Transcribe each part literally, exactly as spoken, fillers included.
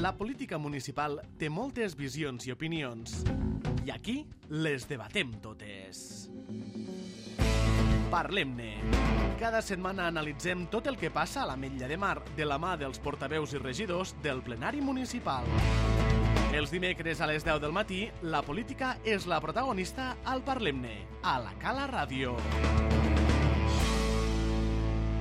La política municipal té moltes visions i opinions, i aquí les debatem totes. Parlem-ne. Cada setmana analitzem tot el que passa a l'Ametlla de Mar de la mà dels portaveus i regidors del plenari municipal. Els dimecres a les deu del matí, la política és la protagonista al Parlem-ne, a la Cala Ràdio.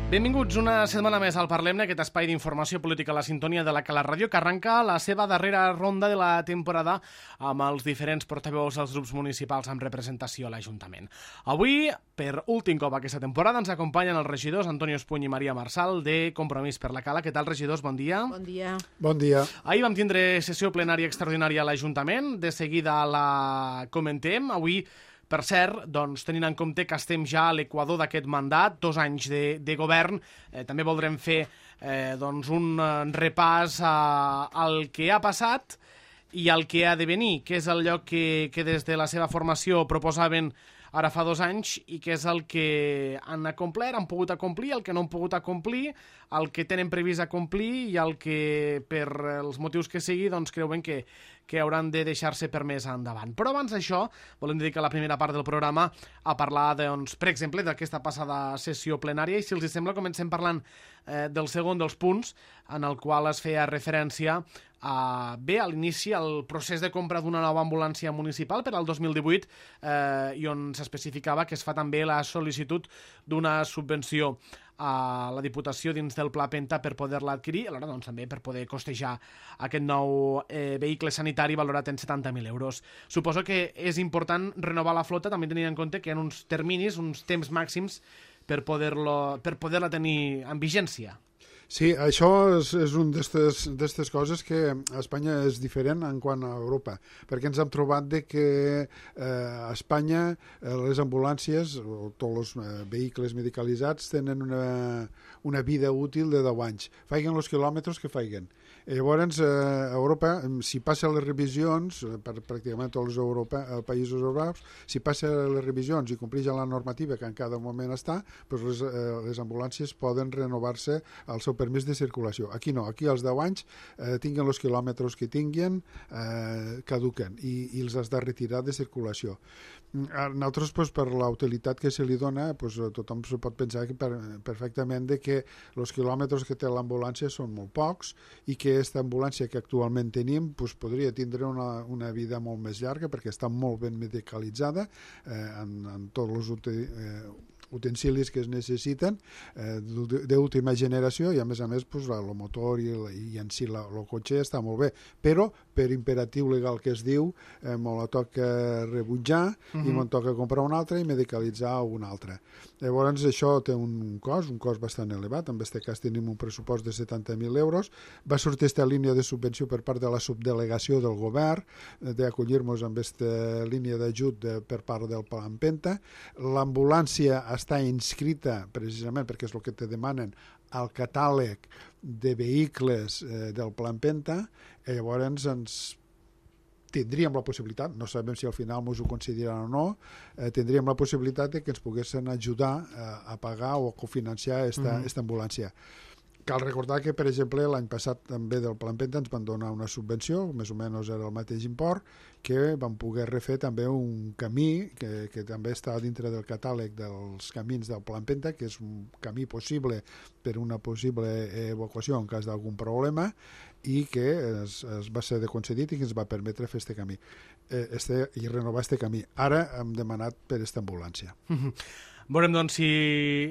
Benvinguts una setmana més al Parlem-ne, aquest espai d'informació política a la sintonia de la Cala Ràdio, que arrenca la seva darrera ronda de la temporada amb els diferents portaveus dels grups municipals amb representació a l'Ajuntament. Avui, per últim cop aquesta temporada, ens acompanyen els regidors Antonio Espuny i Maria Marsal de Compromís per la Cala. Què tal, regidors? Bon dia. Bon dia. Bon dia. Ahir vam tindre sessió plenària extraordinària a l'Ajuntament, de seguida la comentem. Avui, per cert, doncs, tenint en compte que estem ja a l'equador d'aquest mandat, dos anys de, de govern, eh, també voldrem fer eh, doncs un eh, repàs a, al que ha passat i al que ha de venir, que és el lloc que, que des de la seva formació proposaven ara fa dos anys i que és el que han acomplert, han pogut acomplir, el que no han pogut acomplir, el que tenen previst acomplir i el que, per els motius que sigui, doncs creuen que, que hauran de deixar-se per més endavant. Però abans d'això, volem dedicar la primera part del programa a parlar, doncs, per exemple, d'aquesta passada sessió plenària, i si els sembla comencem parlant eh, del segon dels punts, en el qual es feia referència a, bé, a l'inici al procés de compra d'una nova ambulància municipal per al dos mil divuit eh, i on s'especificava que es fa també la sol·licitud d'una subvenció a la Diputació dins del Pla Penta per poder-la adquirir, alhora doncs, també per poder costejar aquest nou eh, vehicle sanitari valorat en setanta mil euros. Suposo que és important renovar la flota, també tenint en compte que hi ha uns terminis, uns temps màxims per poder-lo, per poder-la tenir en vigència. Sí, això és, és una d'aquestes coses que a Espanya és diferent en quant a Europa, perquè ens hem trobat de que eh, a Espanya eh, les ambulàncies o tots els eh, vehicles medicalitzats tenen una, una vida útil de deu anys, faiguen els quilòmetres que faiguen. I llavors, eh, a Europa, si passa les revisions, per pràcticament tots els Europa, països europeus, si passa les revisions i compleix la normativa que en cada moment està, doncs les, eh, les ambulàncies poden renovar-se al seu permís de circulació. Aquí no, aquí als deu anys eh, tinguen els quilòmetres que tinguin, eh, caduquen i, i els has de retirar de circulació. Nosaltres, pues, per la utilitat que se li dona, pues, tothom se pot pensar que per, perfectament de que els quilòmetres que té l'ambulància són molt pocs i que aquesta ambulància que actualment tenim pues, podria tindre una, una vida molt més llarga perquè està molt ben medicalitzada eh, en, en tots els utilitats eh, utensilis que es necessiten eh, d'última generació i a més a més pues, el motor i, el, i en si la, el cotxe està molt bé, però per imperatiu legal que es diu eh, me la toca rebutjar uh-huh. i me'n toca comprar un altre i medicalitzar un altre. Llavors això té un cost, un cost bastant elevat, en aquest cas tenim un pressupost de setanta mil euros, va sortir aquesta línia de subvenció per part de la subdelegació del govern d'acollir-nos amb aquesta línia d'ajut de, per part del Plan Penta. L'ambulància està inscrita precisament perquè és el que te demanen al catàleg de vehicles eh, del Plan Penta i llavors ens tindríem la possibilitat, no sabem si al final ens ho consideraran o no, eh, tindríem la possibilitat de que ens poguessin ajudar eh, a pagar o a cofinanciar esta, mm-hmm. esta ambulància. Cal recordar que, per exemple, l'any passat també del Plan Penta ens van donar una subvenció, més o menys era el mateix import, que vam poder refer també un camí que, que també està dintre del catàleg dels camins del Plan Penta, que és un camí possible per una possible evacuació en cas d'algun problema i que es, es va ser concedit i que ens va permetre fer este camí eh, este, i renovar este camí. Ara hem demanat per aquesta ambulància. Veurem, doncs, si,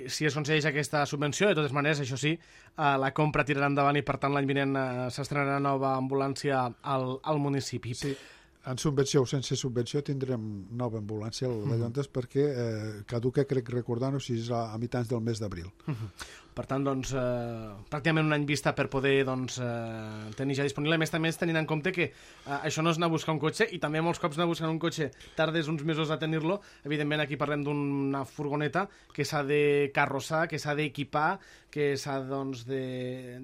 si es concedeix aquesta subvenció. De totes maneres, això sí, eh, la compra tirarà endavant i, per tant, l'any vinent eh, s'estrenarà nova ambulància al, al municipi. Sí, en subvenció o sense subvenció tindrem nova ambulància a la Llantes mm. perquè eh, caduca, crec recordar-ho, si és a, a mitjans del mes d'abril. Mm-hmm. Per tant, doncs, eh, pràcticament un any vista per poder doncs, eh, tenir ja disponible. A més, també tenint en compte que eh, això no és anar a buscar un cotxe, i també molts cops anar a buscar un cotxe tardes uns mesos a tenir-lo. Evidentment, aquí parlem d'una furgoneta que s'ha de carrossar, que s'ha d'equipar, que s'ha doncs, de,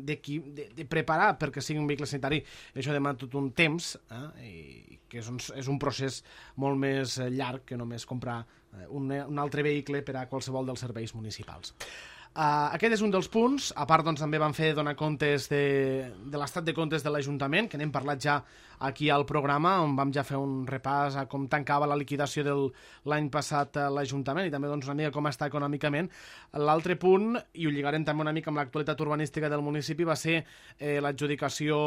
de, de, de preparar perquè sigui un vehicle sanitari. Això demana tot un temps, eh, i que és un, és un procés molt més llarg que només comprar un, un altre vehicle per a qualsevol dels serveis municipals. Uh, aquest és un dels punts. A part, doncs, també van fer donar comptes de, de l'estat de comptes de l'Ajuntament, que n'hem parlat ja aquí al programa, on vam ja fer un repàs a com tancava la liquidació de l'any passat a l'Ajuntament i també doncs, una mica com està econòmicament. L'altre punt, i ho lligarem també una mica amb l'actualitat urbanística del municipi, va ser eh, l'adjudicació,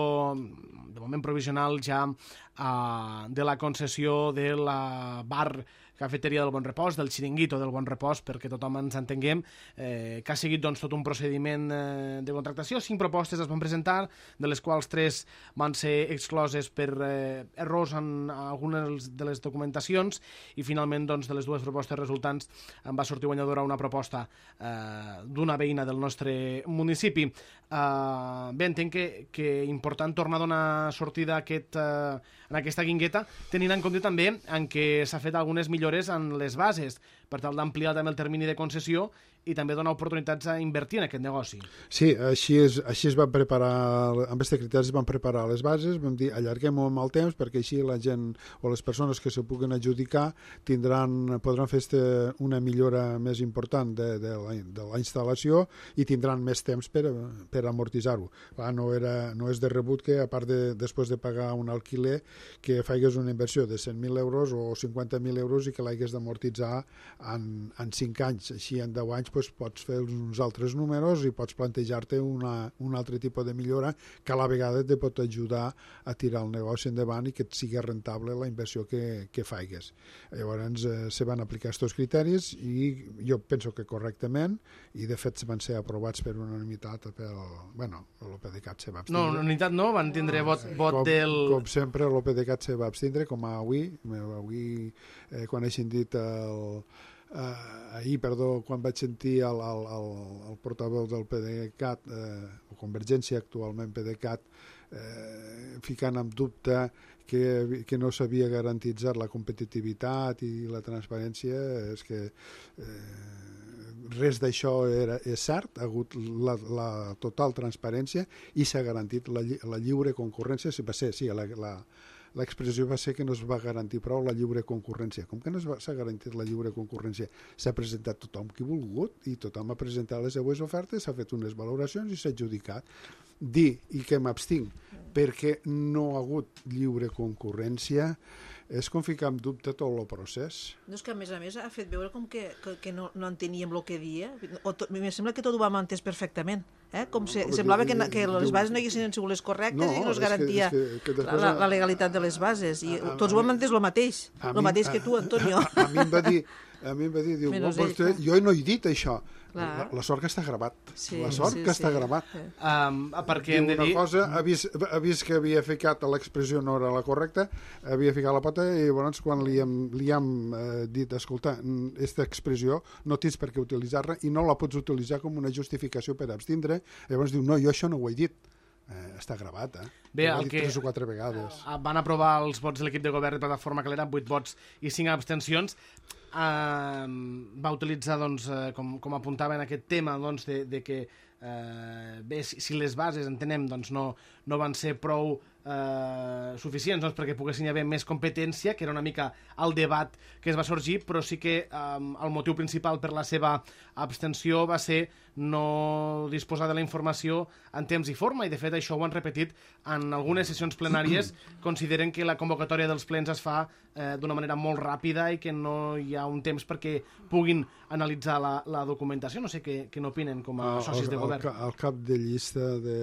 de moment provisional ja, uh, de la concessió de la bar cafeteria del Bon Repòs, del xiringuito del Bon Repòs, perquè tothom ens entenguem, eh, que ha seguit doncs, tot un procediment eh, de contractació. Cinc propostes es van presentar, de les quals tres van ser excloses per eh, errors en algunes de les documentacions i finalment doncs, de les dues propostes resultants en va sortir guanyadora una proposta eh, d'una veïna del nostre municipi. Eh, bé, entenc que, que important tornar a donar sortida a aquest, eh, en aquesta guingueta, tenint en compte també en què s'ha fet algunes millores en les bases, per tal d'ampliar també el termini de concessió i també donar oportunitats a invertir en aquest negoci. Sí, així es, així es van preparar, amb aquests criteris es van preparar les bases, vam dir allarguem-ho amb el temps perquè així la gent o les persones que se puguen adjudicar tindran, podran fer este, una millora més important de, de, la, de la instal·lació i tindran més temps per, per amortitzar-ho. No, era, no és de rebut que, a part de, després de pagar un alquiler, que faigues una inversió de cent mil euros o cinquanta mil euros i que l'hagués d'amortitzar en, en cinc anys. Així en deu anys doncs, pots fer uns altres números i pots plantejar-te una, un altre tipus de millora que a la vegada te pot ajudar a tirar el negoci endavant i que et sigui rentable la inversió que, que faigues. Llavors eh, se van aplicar aquests criteris i jo penso que correctament, i de fet van ser aprovats per unanimitat pel... Bueno, l'O P D C A T se va abstindre. No, unanimitat no, van tindre vot, vot com, del... Com sempre, l'O P D C A T se va abstindre, com avui, avui eh, quan he sentit el... Uh, ahir, perdó, quan vaig sentir el, el, el, el portaveu del P D C A T, eh, o Convergència, actualment P D C A T, eh, ficant en dubte que, que no s'havia garantitzat la competitivitat i la transparència, és que eh, res d'això era, és cert, ha hagut la, la total transparència i s'ha garantit la, la lliure concurrència, si va ser, sí, la, la l'expressió va ser que no es va garantir prou la lliure concurrència. Com que no s'ha garantit la lliure concurrència? S'ha presentat tothom que ha volgut i tothom ha presentat les seues ofertes, s'ha fet unes valoracions i s'ha adjudicat. Dir i que m'abstinc perquè no ha hagut lliure concurrència és com ficar en dubte tot el procés. No, és que a més a més ha fet veure com que, que, que no, no enteníem el que dia. O to, em sembla que tot ho vam entès perfectament. Eh? Com se, semblava que, que les bases no haguessin sigut les correctes no, i no es garantia que, és que, que després... la, la legalitat de les bases. I a, a, tots ho hem entès el mateix. El mateix que tu, Antonio. A, a, a mi em va dir, a mi em va dir diu, oh, vostè, jo no he dit això. La, la sort que està gravat. Sí, la sort sí, que sí. està gravat. Um, perquè hem de dir... Una cosa, ha vist, ha vist que havia ficat l'expressió no era la correcta, havia ficat la pota i llavors quan li hem, li hem eh, dit, escolta, aquesta expressió no tens per què utilitzar-la i no la pots utilitzar com una justificació per abstindre, llavors diu, no, jo això no ho he dit. Eh, està gravat, eh? Bé, el que tres o quatre vegades. Van aprovar els vots de l'equip de govern de Plataforma Calera amb vuit vots i cinc abstencions. Uh, va utilitzar, doncs, uh, com, com apuntava en aquest tema, doncs, de, de que uh, bé, si, si les bases, entenem, doncs, no, no van ser prou uh, suficients doncs, perquè poguessin haver més competència, que era una mica el debat que es va sorgir, però sí que um, el motiu principal per la seva abstenció va ser no disposar de la informació en temps i forma, i de fet això ho han repetit en algunes sessions plenàries. Consideren que la convocatòria dels plens es fa eh, d'una manera molt ràpida i que no hi ha un temps perquè puguin analitzar la, la documentació. No sé què, què n'opinen com a socis de govern. El, el cap de llista de,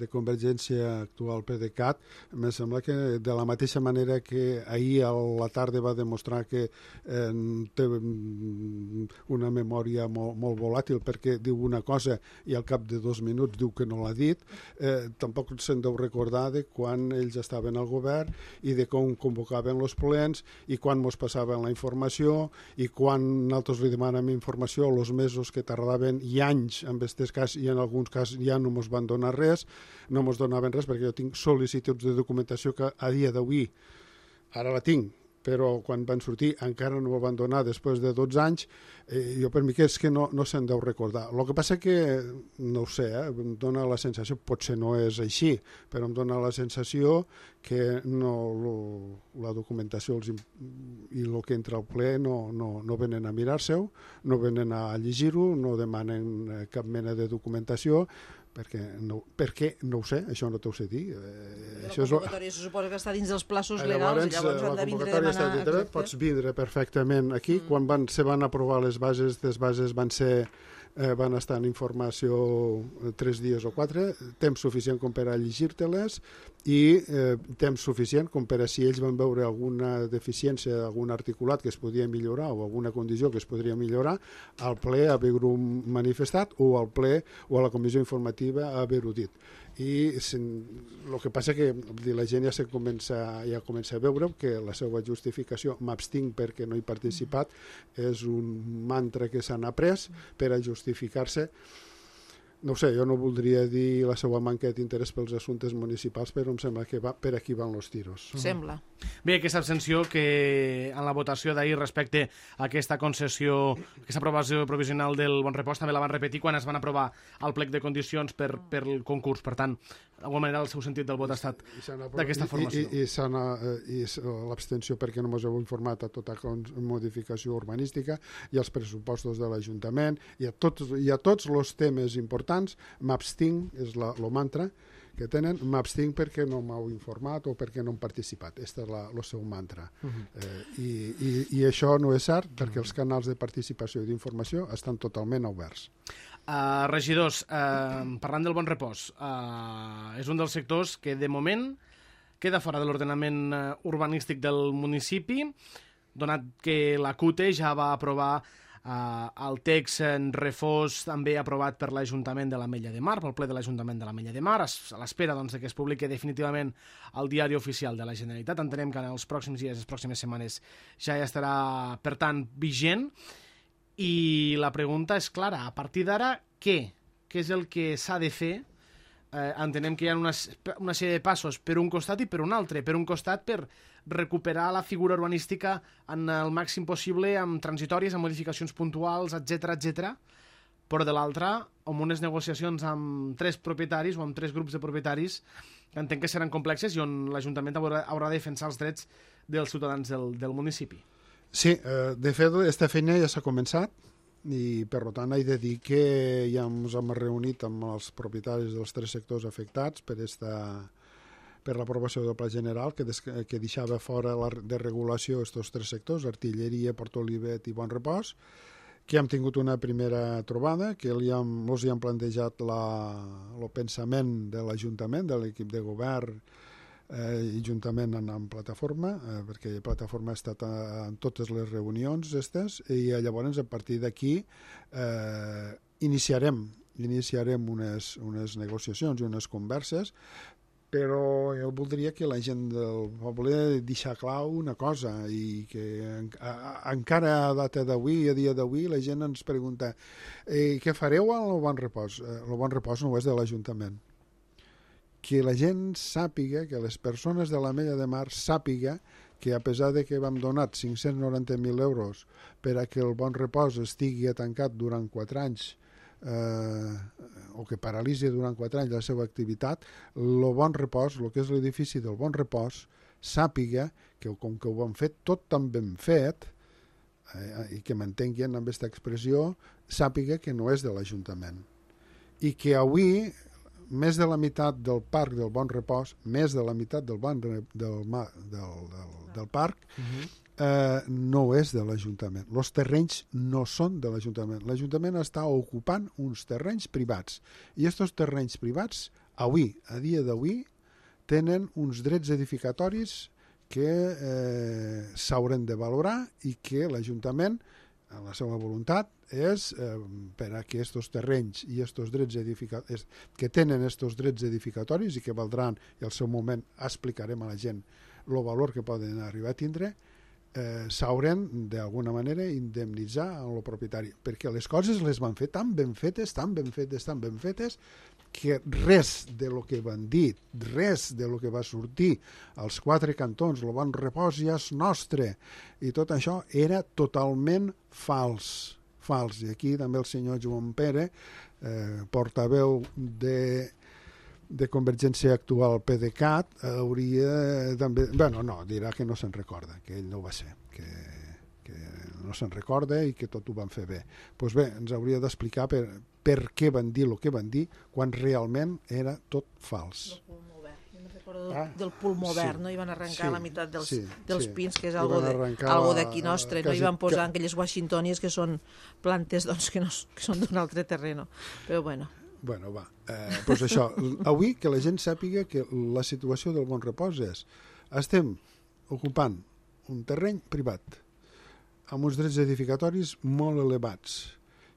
de Convergència actual P D C A T, em sembla que de la mateixa manera que ahir a la tarda va demostrar que eh, té una memòria molt, molt volàtil perquè diu una cosa i al cap de dos minuts diu que no l'ha dit, eh, tampoc se'n deu recordar de quan ells estaven al govern i de com convocaven els plens i quan mos passaven la informació i quan nosaltres li demanem informació els mesos que tardaven i anys en aquest cas i en alguns casos ja no mos van donar res, no mos donaven res perquè jo tinc sol·licituds de documentació que a dia d'avui ara la tinc però quan van sortir encara no ho van donar després de dotze anys, eh, jo per mi que és que no, no se'n deu recordar. El que passa que, no ho sé, eh, em dona la sensació, potser no és així, però em dona la sensació que no, lo, la documentació els, i el que entra al ple no, no, no venen a mirar-se-ho, no venen a llegir-ho, no demanen cap mena de documentació, perquè no, perquè no ho sé, això no t'ho sé dir. Eh, la convocatòria se suposa que està dins dels plaços legals, llavors, llavors han de vindre a demanar... Dintre, pots vindre perfectament aquí. Mm. Quan van, se van aprovar les bases, les bases van ser eh, van estar en informació tres dies o quatre, temps suficient com per a llegir-te-les i eh, temps suficient com per a si ells van veure alguna deficiència, algun articulat que es podia millorar o alguna condició que es podria millorar, al ple haver-ho manifestat o al ple o a la comissió informativa haver-ho dit. I el que passa que la gent ja, se comença, ja comença a veure que la seva justificació, m'abstinc perquè no he participat, és un mantra que s'han après per a justificar-se. No ho sé, jo no voldria dir la seva manca d'interès pels assumptes municipals, però em sembla que va, per aquí van los tiros. Sembla. Bé, aquesta abstenció que en la votació d'ahir respecte a aquesta concessió, aquesta aprovació provisional del Bon Repòs també la van repetir quan es van aprovar el plec de condicions per, per el concurs. Per tant, d'alguna manera el seu sentit del vot ha estat d'aquesta formació. I, i, i, i l'abstenció perquè no ens heu informat a tota modificació urbanística i als pressupostos de l'Ajuntament i a tots, i a tots els temes importants m'abstinc, és la, el mantra que tenen, m'abstinc perquè no m'heu informat o perquè no hem participat. Aquest és el seu mantra. Uh -huh. eh, i, i, I això no és cert perquè els canals de participació i d'informació estan totalment oberts. Uh, regidors, uh, parlant del Bon Repòs, uh, és un dels sectors que de moment queda fora de l'ordenament uh, urbanístic del municipi, donat que la C U T E ja va aprovar Uh, el text en refós també aprovat per l'Ajuntament de l'Ametlla de Mar, pel ple de l'Ajuntament de l'Ametlla de Mar, a l'espera doncs, que es publiqui definitivament al diari oficial de la Generalitat. Entenem que en els pròxims dies, les pròximes setmanes, ja estarà, per tant, vigent. I la pregunta és clara, a partir d'ara, què? Què és el que s'ha de fer? Eh, entenem que hi ha una, una sèrie de passos per un costat i per un altre. Per un costat, per recuperar la figura urbanística en el màxim possible, amb transitòries, amb modificacions puntuals, etcètera, etcètera. Però de l'altra, amb unes negociacions amb tres propietaris o amb tres grups de propietaris que entenc que seran complexes i on l'Ajuntament haurà, haurà de defensar els drets dels ciutadans del, del municipi. Sí, eh, de fet, aquesta feina ja s'ha començat i, per tant, he de dir que ja ens hem reunit amb els propietaris dels tres sectors afectats per esta... per l'aprovació del Pla General, que, des, que deixava fora la, de regulació aquests tres sectors, Artilleria, Port Olivet i Bon Repòs, que hem tingut una primera trobada, que els hi hem, hi hem plantejat el pensament de l'Ajuntament, de l'equip de govern, eh, i juntament en, en plataforma, eh, perquè plataforma ha estat a, en totes les reunions estes, i llavors a partir d'aquí eh, iniciarem, iniciarem unes, unes negociacions i unes converses, però jo voldria que la gent del poble deixar clar una cosa i que en, a, encara a data d'avui, a dia d'avui, la gent ens pregunta eh, què fareu al Bon Repòs? Eh, el Bon Repòs no és de l'Ajuntament. Que la gent sàpiga, que les persones de l'Ametlla de Mar sàpiga que a pesar de que vam donar cinc-cents noranta mil euros per a que el Bon Repòs estigui tancat durant quatre anys eh, o que paralitzi durant quatre anys la seva activitat, el Bon Repòs, el que és l'edifici del Bon Repòs, sàpiga que com que ho han fet tot tan ben fet, eh, i que m'entenguin amb aquesta expressió, sàpiga que no és de l'Ajuntament. I que avui més de la meitat del parc del Bon Repòs, més de la meitat del, bon, del, del, del, del parc, uh-huh. eh, no és de l'Ajuntament. Els terrenys no són de l'Ajuntament. L'Ajuntament està ocupant uns terrenys privats. I aquests terrenys privats, avui, a dia d'avui, tenen uns drets edificatoris que eh, s'hauran de valorar i que l'Ajuntament, en la seva voluntat, és eh, per a que aquests terrenys i estos drets edificatoris, que tenen aquests drets edificatoris i que valdran, i al seu moment explicarem a la gent el valor que poden arribar a tindre, eh, s'hauran d'alguna manera indemnitzar el propietari, perquè les coses les van fer tan ben fetes, tan ben fetes, tan ben fetes, que res de lo que van dir, res de lo que va sortir als quatre cantons, el bon repòs ja és nostre, i tot això era totalment fals, fals. I aquí també el senyor Joan Pere, eh, portaveu de, de Convergència actual PDeCAT, hauria també... Bueno, no, dirà que no se'n recorda, que ell no ho va ser, que, que no se'n recorda i que tot ho van fer bé. Doncs pues bé, ens hauria d'explicar per, per què van dir el que van dir quan realment era tot fals. El pulmó verd. Jo me recordo ah, del pulmó sí, verd, no? I van arrencar sí, la meitat dels, sí, dels sí. pins, que és algo d'aquí nostre, no? I van posar aquelles washingtonies que són plantes doncs, que, no, que són d'un altre terreno. Però bueno... Bueno, va. Eh, doncs això, avui que la gent sàpiga que la situació del Bon Repòs és estem ocupant un terreny privat amb uns drets edificatoris molt elevats,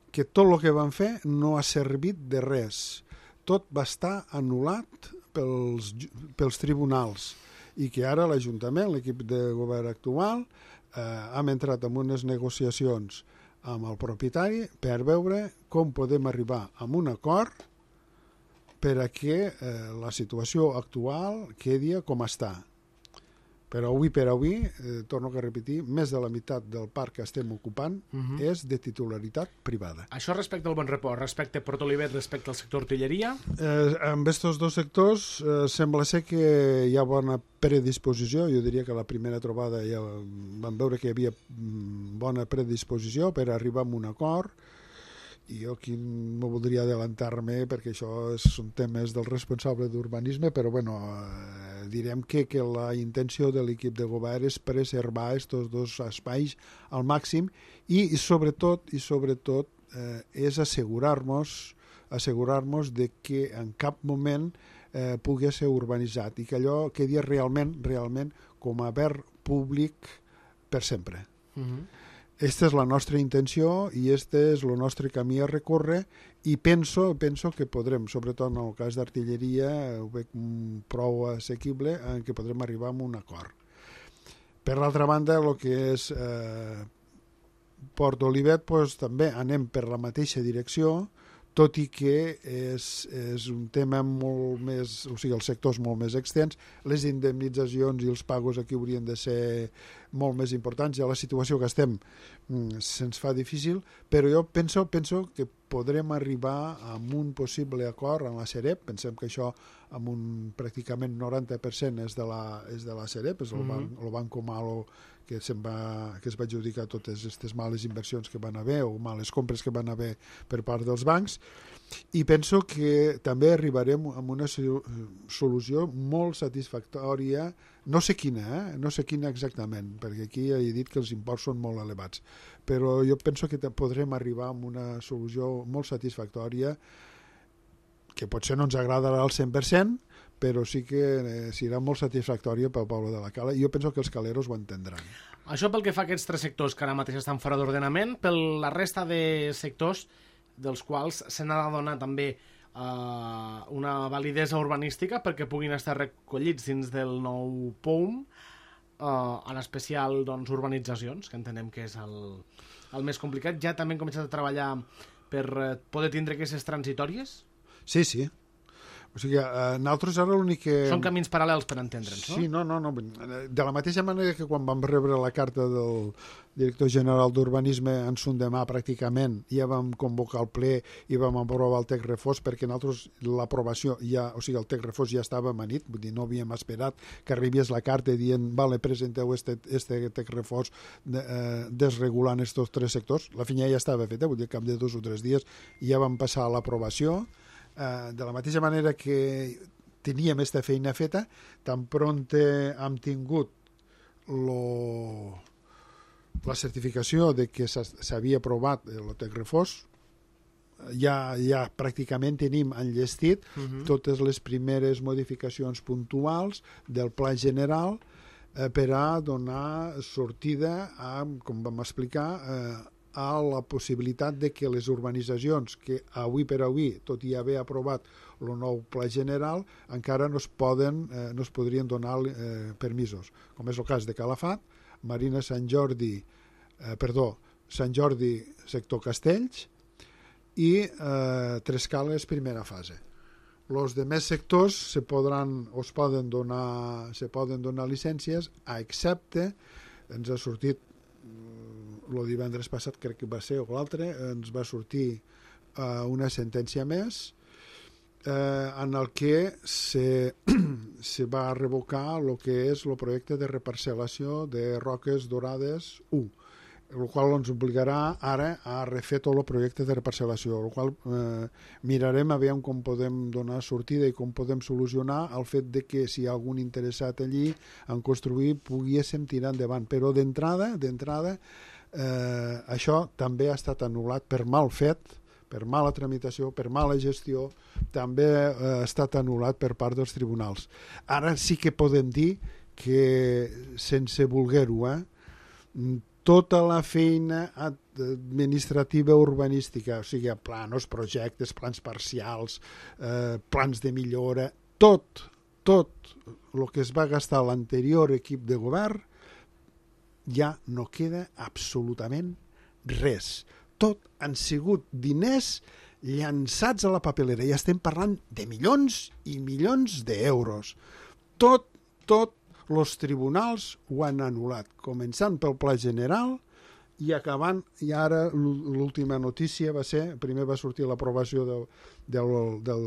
que tot el que van fer no ha servit de res. Tot va estar anul·lat pels, pels tribunals i que ara l'Ajuntament, l'equip de govern actual, eh, hem entrat en unes negociacions amb el propietari per veure com podem arribar a un acord per a que eh, la situació actual quedi com està. Però avui per avui, eh, torno a repetir, més de la meitat del parc que estem ocupant uh-huh. és de titularitat privada. Això respecte al Bon Repòs, respecte a Port Olivet, respecte al sector artilleria? Eh, amb aquests dos sectors eh, sembla ser que hi ha bona predisposició. Jo diria que la primera trobada ja vam veure que hi havia bona predisposició per arribar a un acord, i jo aquí no voldria adelantar-me perquè això són temes del responsable d'urbanisme, però bueno, eh, direm que, que la intenció de l'equip de govern és preservar aquests dos espais al màxim i, i sobretot, i sobretot eh, és assegurar-nos assegurar-nos de que en cap moment eh, pugui ser urbanitzat i que allò quedi realment, realment com a verd públic per sempre. Uh-huh. Esta és la nostra intenció i este és el nostre camí a recórrer i penso, penso que podrem, sobretot en el cas d'artilleria, ho veig prou assequible, en què podrem arribar a un acord. Per l'altra banda, el que és eh, Port Olivet, doncs, també anem per la mateixa direcció, tot i que és, és un tema molt més, o sigui, el sector és molt més extens, les indemnitzacions i els pagos aquí haurien de ser molt més importants, ja la situació que estem se'ns fa difícil, però jo penso, penso que podrem arribar a un possible acord en la Sareb. Pensem que això amb un pràcticament noranta per cent és de la, és de la Sareb, és el, mm-hmm. banc, el Banco Malo que, se'n va, que es va adjudicar totes aquestes males inversions que van haver o males compres que van haver per part dels bancs, i penso que també arribarem a una solució molt satisfactòria, no sé quina, eh? no sé quina exactament, perquè aquí ja he dit que els imports són molt elevats, però jo penso que podrem arribar a una solució molt satisfactòria que potser no ens agradarà al cent per cent, però sí que eh, serà molt satisfactòria pel poble de la Cala, i jo penso que els caleros ho entendran. Això pel que fa a aquests tres sectors que ara mateix estan fora d'ordenament, per la resta de sectors dels quals se n'ha de donar també eh, una validesa urbanística perquè puguin estar recollits dins del nou P O U M, eh, en especial doncs, urbanitzacions, que entenem que és el, el més complicat. Ja també hem començat a treballar per eh, poder tindre aquestes transitòries? Sí, sí. O sigui, eh, nosaltres ara l'únic que... Són camins paral·lels per entendre'ns, no? Sí, no, no, no. De la mateixa manera que quan vam rebre la carta del director general d'Urbanisme en son demà pràcticament ja vam convocar el ple i vam aprovar el text refós perquè nosaltres l'aprovació ja, o sigui, el text refós ja estava amanit, vull dir, no havíem esperat que arribés la carta dient, vale, presenteu este, este text refós de, eh, desregulant estos tres sectors. La feina ja estava feta, vull dir, cap de dos o tres dies ja vam passar a l'aprovació. Uh, de la mateixa manera que teníem aquesta feina feta, tan pront hem tingut lo, la certificació de que s'havia aprovat el text refós, ja, ja pràcticament tenim enllestit uh-huh. totes les primeres modificacions puntuals del pla general eh, per a donar sortida a, com vam explicar, eh, a la possibilitat de que les urbanitzacions que avui per avui, tot i haver aprovat el nou pla general, encara no es, poden, eh, no es podrien donar eh, permisos, com és el cas de Calafat, Marina Sant Jordi, eh, perdó, Sant Jordi, sector Castells, i eh, Tres Cales, primera fase. Els demés sectors se podran, o es poden donar, se poden donar llicències, a excepte, ens ha sortit, el divendres passat crec que va ser, o l'altre, ens va sortir eh, una sentència més, Eh, en el que se, se va revocar el que és el projecte de reparcel·lació de Roques Dorades u, el qual ens obligarà ara a refer tot el projecte de reparcel·lació, el qual eh, mirarem a veure com podem donar sortida i com podem solucionar el fet de que si hi ha algun interessat allí en construir poguéssim tirar endavant, però d'entrada d'entrada eh, això també ha estat anul·lat per mal fet, per mala tramitació, per mala gestió, també eh, ha estat anul·lat per part dels tribunals. Ara sí que podem dir que, sense voler-ho, eh, tota la feina administrativa urbanística, o sigui, planos, projectes, plans parcials, eh, plans de millora, tot, tot el que es va gastar l'anterior equip de govern, ja no queda absolutament res. Tot han sigut diners llançats a la papelera. Ja estem parlant de milions i milions d'euros. Tot, tot, els tribunals ho han anul·lat, començant pel Pla General i acabant, i ara l'última notícia va ser, primer va sortir l'aprovació del, del, del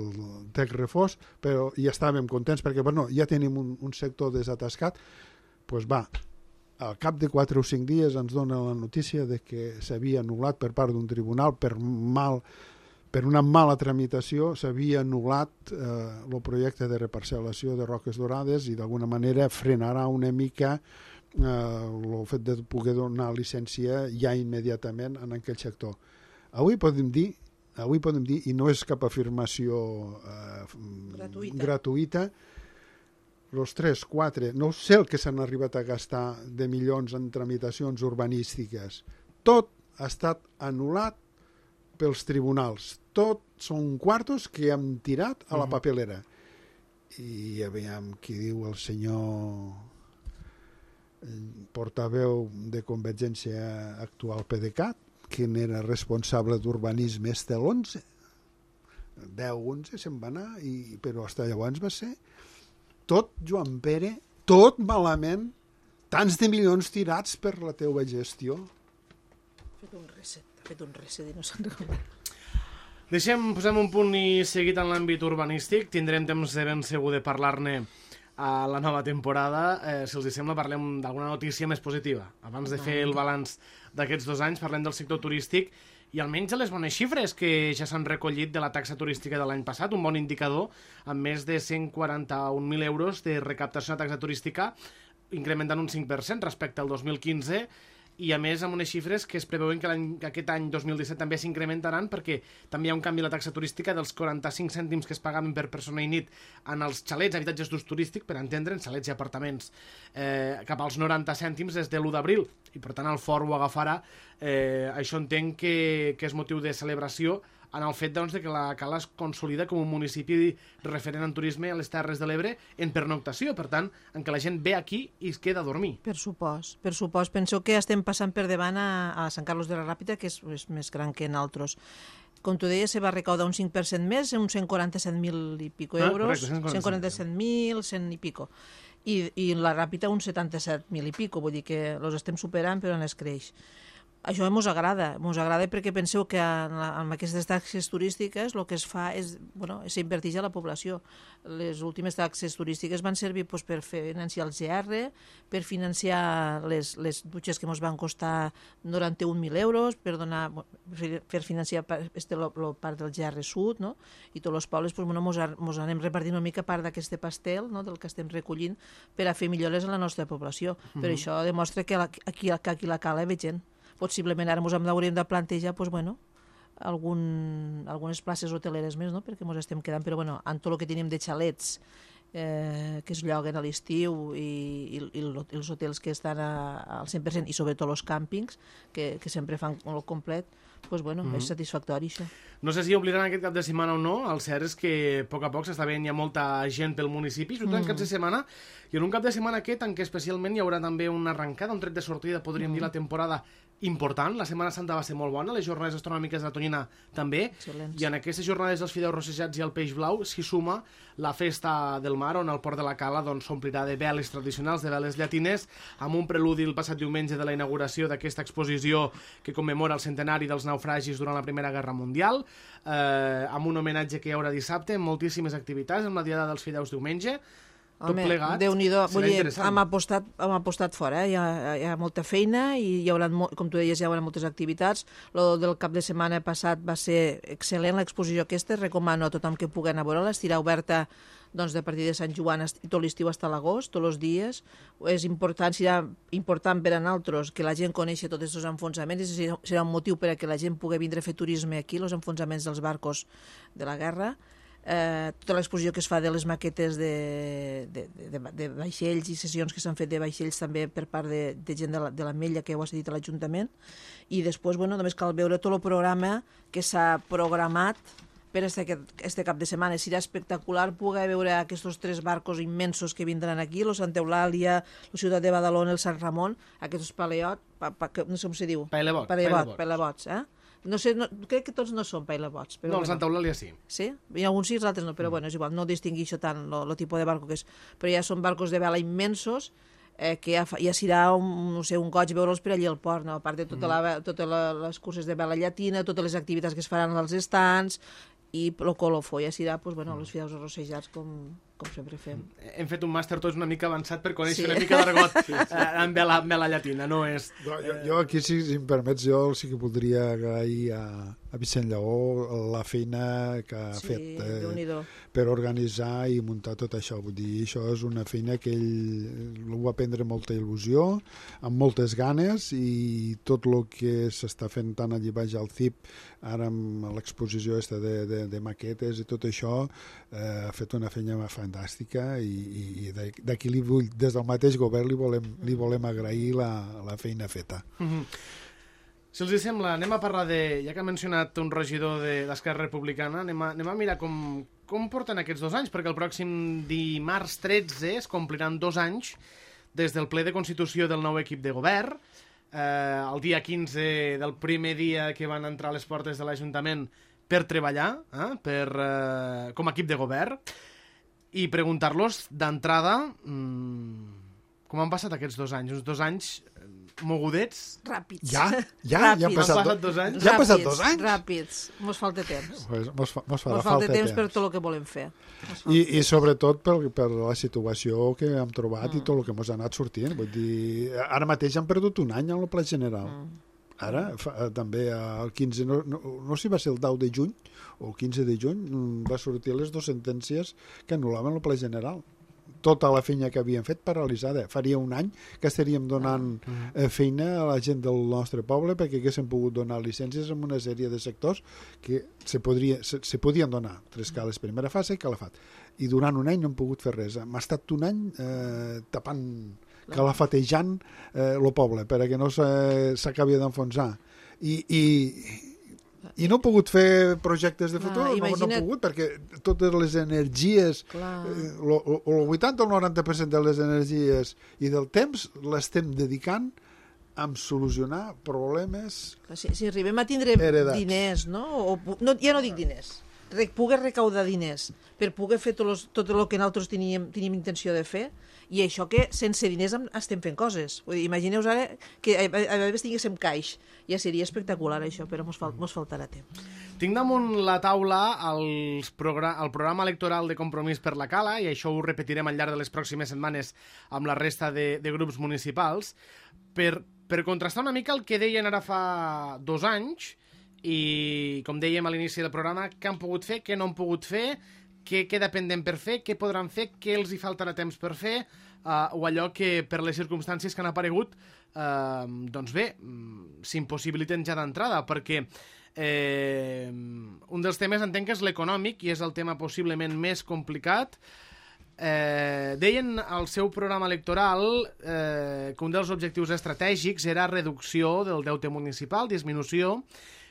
Tec Refós, però ja estàvem contents perquè bueno, ja tenim un, un sector desatascat, doncs pues va, al cap de quatre o cinc dies ens dona la notícia de que s'havia anul·lat per part d'un tribunal per mal, per una mala tramitació, s'havia anul·lat eh, el projecte de reparcel·lació de Roques Dorades i d'alguna manera frenarà una mica eh, el fet de poder donar llicència ja immediatament en aquell sector. Avui podem dir, avui podem dir, i no és cap afirmació eh, gratuïta, gratuïta els tres, quatre, no sé el que s'han arribat a gastar de milions en tramitacions urbanístiques. Tot ha estat anul·lat pels tribunals. Tot són quartos que hem tirat a la papelera. I aviam qui diu el senyor portaveu de Convergència actual PDeCAT, que n'era responsable d'urbanisme este l'onze. deu onze se'n va anar, i, però fins llavors va ser tot, Joan Pere, tot malament, tants de milions tirats per la teua gestió. Ha fet un reset, ha fet un reset i no se'n recorda. Deixem, posem un punt i seguit en l'àmbit urbanístic. Tindrem temps de ben segur de parlar-ne a la nova temporada. Eh, si els hi sembla, parlem d'alguna notícia més positiva. Abans de fer el balanç d'aquests dos anys, parlem del sector turístic i almenys de les bones xifres que ja s'han recollit de la taxa turística de l'any passat, un bon indicador, amb més de cent quaranta-un mil euros de recaptació de taxa turística, incrementant un cinc per cent respecte al dos mil quinze, i a més amb unes xifres que es preveuen que, que aquest any dos mil disset també s'incrementaran perquè també hi ha un canvi a la taxa turística dels quaranta-cinc cèntims que es pagaven per persona i nit en els xalets, habitatges d'ús turístic, per entendre, en xalets i apartaments, eh, cap als noranta cèntims des de l'u d'abril, i per tant el fort ho agafarà. Eh, això entenc que, que és motiu de celebració en el fet doncs, de que la Cala es consolida com un municipi referent en turisme a les Terres de l'Ebre en pernoctació, per tant, en què la gent ve aquí i es queda a dormir. Per supost, per supost. Penso que estem passant per davant a, a Sant Carlos de la Ràpita, que és, és més gran que en altres. Com tu deies, se va recaudar un cinc per cent més, uns cent quaranta-set mil i pico euros, ah, cent quaranta-set mil, cent i pico. I, i la Ràpita uns setanta-set mil i pico, vull dir que els estem superant però no es creix. Això ens agrada, ens agrada perquè penseu que en, la, en aquestes taxes turístiques el que es fa és, bueno, s'inverteix a la població. Les últimes taxes turístiques van servir pues, per financiar el G R, per financiar les, les dutxes que ens van costar noranta-un mil euros, per, donar, per financiar este, lo, lo part del G R Sud, no? I tots els pobles pues, bueno, ens anem repartint una mica part d'aquest pastel, no? Del que estem recollint per a fer millores a la nostra població. Mm-hmm. Però això demostra que, la, aquí, que aquí la Cala ve gent. Possiblement ara ens hauríem de plantejar pues, bueno, algun, algunes places hoteleres més, no? Perquè ens estem quedant, però bueno, en tot el que tenim de xalets eh, que es lloguen a l'estiu i, i, i els hotels que estan a, al cent per cent i sobretot els càmpings que, que sempre fan el complet, pues, bueno, mm-hmm. és satisfactori, això. No sé si oblidaran aquest cap de setmana o no, el cert és que a poc a poc s'està veient ja molta gent pel municipi, sobretot mm. en caps de setmana, i en un cap de setmana aquest en què especialment hi haurà també una arrencada, un tret de sortida, podríem mm. dir, la temporada important. La Setmana Santa va ser molt bona, les jornades astronòmiques de la Tonyina també, Excel·lents. I en aquestes jornades dels fideus rossejats i el peix blau s'hi suma la festa del mar, on el port de la Cala doncs, s'omplirà de veles tradicionals, de veles llatines, amb un preludi el passat diumenge de la inauguració d'aquesta exposició que commemora el centenari dels naufragis durant la Primera Guerra Mundial, eh, amb un homenatge que hi haurà dissabte, amb moltíssimes activitats, amb la Diada dels Fideus diumenge. Tot Home, plegat, Déu-n'hi-do. serà dir, interessant. Hem apostat, hem apostat fora, eh? hi, ha, hi ha molta feina i hi haurà, com tu deies, hi haurà moltes activitats. Lo del cap de setmana passat va ser excel·lent, l'exposició aquesta. Recomano a tothom que pugui anar a veure-la. Estirà oberta doncs, de partir de Sant Joan tot l'estiu fins a l'agost, tots els dies. És important, serà important per a nosaltres que la gent coneixi tots aquests enfonsaments i serà un motiu per a que la gent pugui vindre a fer turisme aquí, els enfonsaments dels barcos de la guerra. Eh, tota l'exposició que es fa de les maquetes de, de, de, de vaixells i sessions que s'han fet de vaixells també per part de, de gent de la, de la Mella que ho ha cedit a l'Ajuntament, i després bueno, només cal veure tot el programa que s'ha programat per este, este cap de setmana. Serà espectacular poder veure aquests tres barcos immensos que vindran aquí, el Santa Eulàlia, la ciutat de Badalona, el Sant Ramon, aquests paleot, pa, pa, no sé com se diu. Paelebots. Paelebots, paelebots, eh? No sé, no, crec que tots no són paelebots. No, el Santa Eulàlia sí. Sí? Hi ha alguns sí, els altres no, però mm. bueno, és igual, no distinguixo tant el tipus de barco que és. Però ja són barcos de vela immensos, eh, que ja, ja serà un, no sé, un goig veure'ls per allí al port, no? A part de totes mm. tota les curses de vela llatina, totes les activitats que es faran als estants, i el colofó ja serà, doncs, bueno, els fideus arrossejats com, com sempre fem. Hem fet un màster tots una mica avançat per conèixer sí. una mica d'argot sí, sí. eh, amb vela, vela llatina, no és... No, jo, jo aquí, si, si em permets, jo sí que voldria agrair a, a Vicent Lleó la feina que ha sí, fet eh, per organitzar i muntar tot això. Vull dir, això és una feina que ell ho va prendre molta il·lusió, amb moltes ganes, i tot el que s'està fent tant allí baix al C I P, ara amb l'exposició esta de, de, de maquetes i tot això, eh, ha fet una feina fantàstica, i, i d'aquí li vull, des del mateix govern li volem, li volem agrair la, la feina feta. Mm-hmm. Si els sembla, anem a parlar de... Ja que ha mencionat un regidor d'Esquerra Republicana, anem a, anem a mirar com, com porten aquests dos anys, perquè el pròxim dimarts tretze es compliran dos anys des del ple de constitució del nou equip de govern. Eh, el dia quinze del primer dia que van entrar a les portes de l'Ajuntament per treballar, eh, per, eh, com a equip de govern, i preguntar-los d'entrada mmm, com han passat aquests dos anys. Uns dos anys mogudets. Ràpids. Ja? Ja? Ràpids. Ja han passat, han passat dos anys? Ja han passat dos anys? Ràpids. Mos falta temps. Pues mos fa, mos fa mos falta temps, temps per tot el que volem fer. I, i sobretot per, per la situació que hem trobat mm. i tot el que mos ha anat sortint. Vull dir, ara mateix han perdut un any en el Pla General. Mm. Ara, fa, també el quinze, no, no, no sé si va ser el deu de juny o el quinze de juny, va sortir les dues sentències que anul·laven el Pla General. Tota la feina que havíem fet paralitzada. Faria un any que estaríem donant eh, feina a la gent del nostre poble perquè haguéssim pogut donar llicències en una sèrie de sectors que se, podria, se, se podien donar. Tres cales primera fase i calafat. I durant un any no hem pogut fer res. Hem estat un any eh, tapant, calafatejant eh, el poble perquè no s'acabi d'enfonsar. I... i I no he pogut fer projectes de futur, Clar, imagina't... no, no he pogut, perquè totes les energies, eh, el vuitanta o el noranta per cent de les energies i del temps l'estem dedicant a solucionar problemes si, si arribem a tindre heredats. Diners, no? O, no? Ja no dic diners, Re, poder recaudar diners per poder fer tot, los, tot el que nosaltres teníem, teníem intenció de fer, i això que sense diners estem fent coses. Vull dir, imagineu-vos ara que a, a, a vegades tinguéssim caix. Ja seria espectacular això, però mos, fal, mos faltarà temps. Tinc damunt la taula els progra el programa electoral de Compromís per la Cala, i això ho repetirem al llarg de les pròximes setmanes amb la resta de, de grups municipals, per, per contrastar una mica el que deien ara fa dos anys, i com dèiem a l'inici del programa, què han pogut fer, què no han pogut fer, què queda pendent per fer, què podran fer, què els hi faltarà temps per fer, uh, o allò que per les circumstàncies que han aparegut uh, doncs bé, s'impossibiliten ja d'entrada, perquè eh, un dels temes entenc que és l'econòmic i és el tema possiblement més complicat. Eh, deien al seu programa electoral eh, que un dels objectius estratègics era reducció del deute municipal, disminució,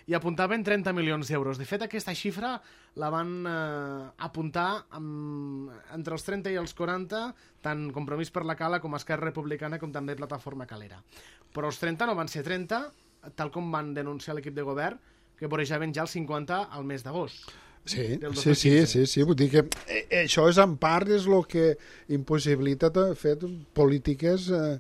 i apuntaven trenta milions d'euros. De fet, aquesta xifra la van eh, apuntar amb, entre els trenta i els quaranta, tant Compromís per la Cala com Esquerra Republicana com també Plataforma Calera. Però els trenta no van ser trenta, tal com van denunciar l'equip de govern, que vorejaven ja els cinquanta al mes d'agost. Sí, sí, sí, sí, sí, vull dir que eh, això és en part és el que impossibilita fer polítiques eh,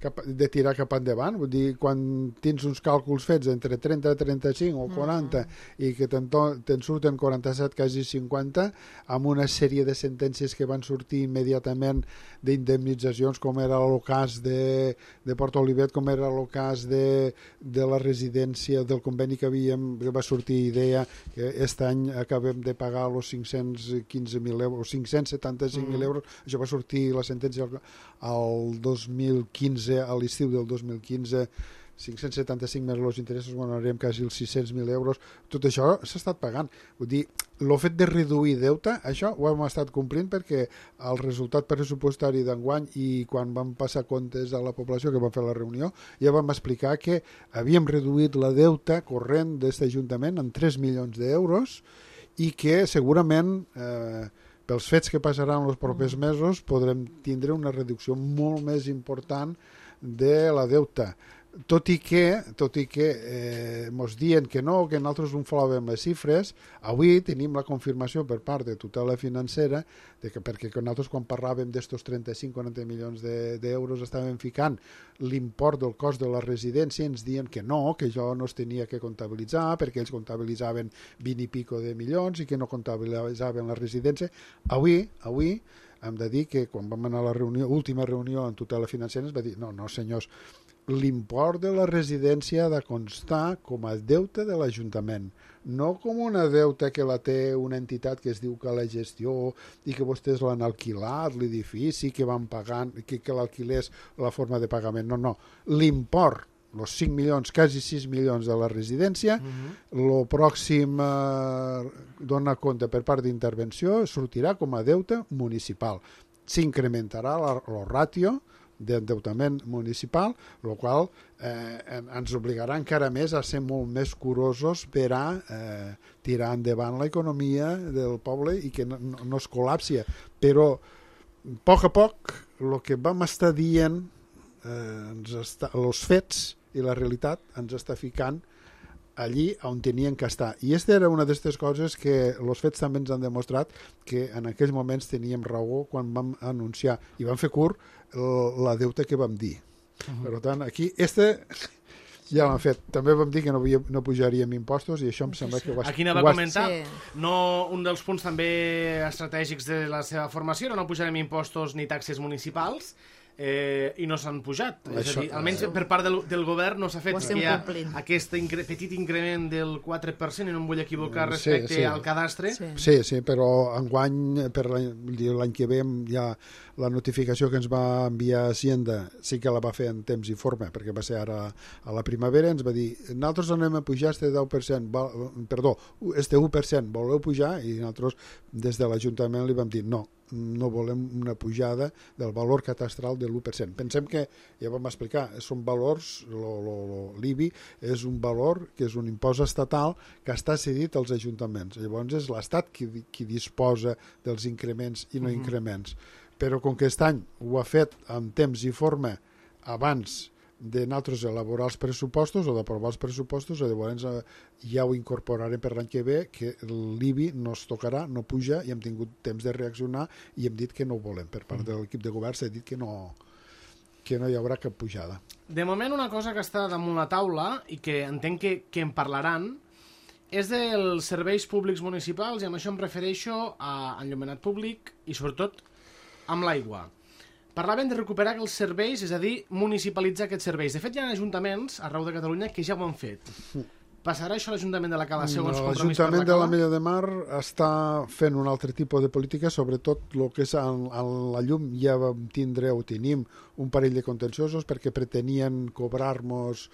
cap, de tirar cap endavant, vull dir, quan tens uns càlculs fets entre trenta, trenta-cinc o quaranta mm. i que te'n te surten quaranta-set, quasi cinquanta, amb una sèrie de sentències que van sortir immediatament d'indemnitzacions, com era el cas de, de Port Olivet, com era el cas de, de la residència, del conveni que havíem, que va sortir idea que aquest any acabem de pagar els cinc-cents quinze mil euros, cinc-cents setanta-cinc mil mm. euros, això va sortir la sentència al, al dos mil quinze, a l'estiu del dos mil quinze, cinc-cents setanta-cinc més els interessos, bueno, anirem quasi els sis-cents mil euros, tot això s'ha estat pagant. Vull dir, el fet de reduir deute, això ho hem estat complint perquè el resultat pressupostari d'enguany i quan vam passar comptes a la població, que vam fer la reunió, ja vam explicar que havíem reduït la deuta corrent d'aquest Ajuntament en tres milions d'euros i que segurament eh, pels fets que passaran els propers mesos podrem tindre una reducció molt més important de la deuta. Tot i que, tot i que eh, mos dient que no, que nosaltres inflàvem les xifres, avui tenim la confirmació per part de tutela financera de que, perquè nosaltres quan parlàvem d'estos trenta-cinc a quaranta milions d'euros de, estàvem ficant l'import del cost de la residència, ens diuen que no, que això no es tenia que comptabilitzar perquè ells comptabilitzaven vint i pico de milions i que no comptabilitzaven la residència. Avui, avui hem de dir que quan vam anar a la reunió, última reunió en tutela financera ens va dir, no, no senyors, l'import de la residència ha de constar com a deute de l'Ajuntament, no com una deuta que la té una entitat que es diu que la gestió i que vostès l'han alquilat, l'edifici, que van pagant, que, que l'alquilés la forma de pagament. No, no. L'import, els cinc milions, quasi sis milions de la residència, el uh-huh. pròxim eh, dona compte per part d'intervenció sortirà com a deute municipal. S'incrementarà la, la ràtio d'endeutament municipal, el qual eh, ens obligarà encara més a ser molt més curosos per a eh, tirar endavant l'economia del poble i que no, no es col·lapsi. Però, a poc a poc, el que vam estar dient, eh, ens està, els fets i la realitat ens està ficant allí on tenien que estar. I aquesta era una d'aquestes coses que els fets també ens han demostrat que en aquells moments teníem raó quan vam anunciar i vam fer curt la deuta que vam dir. Uh-huh. Per tant, aquí, este ja l'han fet. També vam dir que no, havia, no pujaríem impostos i això em sembla que ho has... Aquí anava a comentar. Sí. No, un dels punts també estratègics de la seva formació era no pujarem impostos ni taxes municipals, Eh, i no s'han pujat. Això, és a dir, almenys per part del, del govern no s'ha fet. Hi ha aquest incre, petit increment del quatre per cent, i no em vull equivocar respecte sí, sí. al cadastre. Sí, sí, sí, però enguany, per l'any que ve, ja la notificació que ens va enviar Hacienda sí que la va fer en temps i forma, perquè va ser ara a la primavera, ens va dir, nosaltres anem a pujar este deu per cent, perdó, este u per cent, voleu pujar? I nosaltres des de l'Ajuntament li vam dir no, no volem una pujada del valor catastral de l'u per cent. Pensem que, ja vam explicar, són valors, l'I B I és un valor que és un impost estatal que està cedit als ajuntaments. Llavors és l'Estat qui, qui disposa dels increments i no uh-huh. increments. Però com que aquest any ho ha fet en temps i forma abans de nosaltres elaborar els pressupostos o d'aprovar els pressupostos, llavors ja ho incorporarem per l'any que ve, que l'I B I no es tocarà, no puja, i hem tingut temps de reaccionar i hem dit que no ho volem. Per part de l'equip de govern s'ha dit que no, que no hi haurà cap pujada. De moment, una cosa que està damunt la taula i que entenc que, que en parlaran és dels serveis públics municipals, i amb això em refereixo a enllumenat públic i sobretot amb l'aigua. Parlaven de recuperar els serveis, és a dir, municipalitzar aquests serveis. De fet, hi ha ajuntaments arreu de Catalunya que ja ho han fet. Passarà això a l'Ajuntament de la Cala segons no, Compromís per la Cala? L'Ajuntament de l'Ametlla de Mar està fent un altre tipus de política, sobretot el que és en, en la llum. Ja vam tindre o tenim un parell de contenciosos perquè pretenien cobrar-nos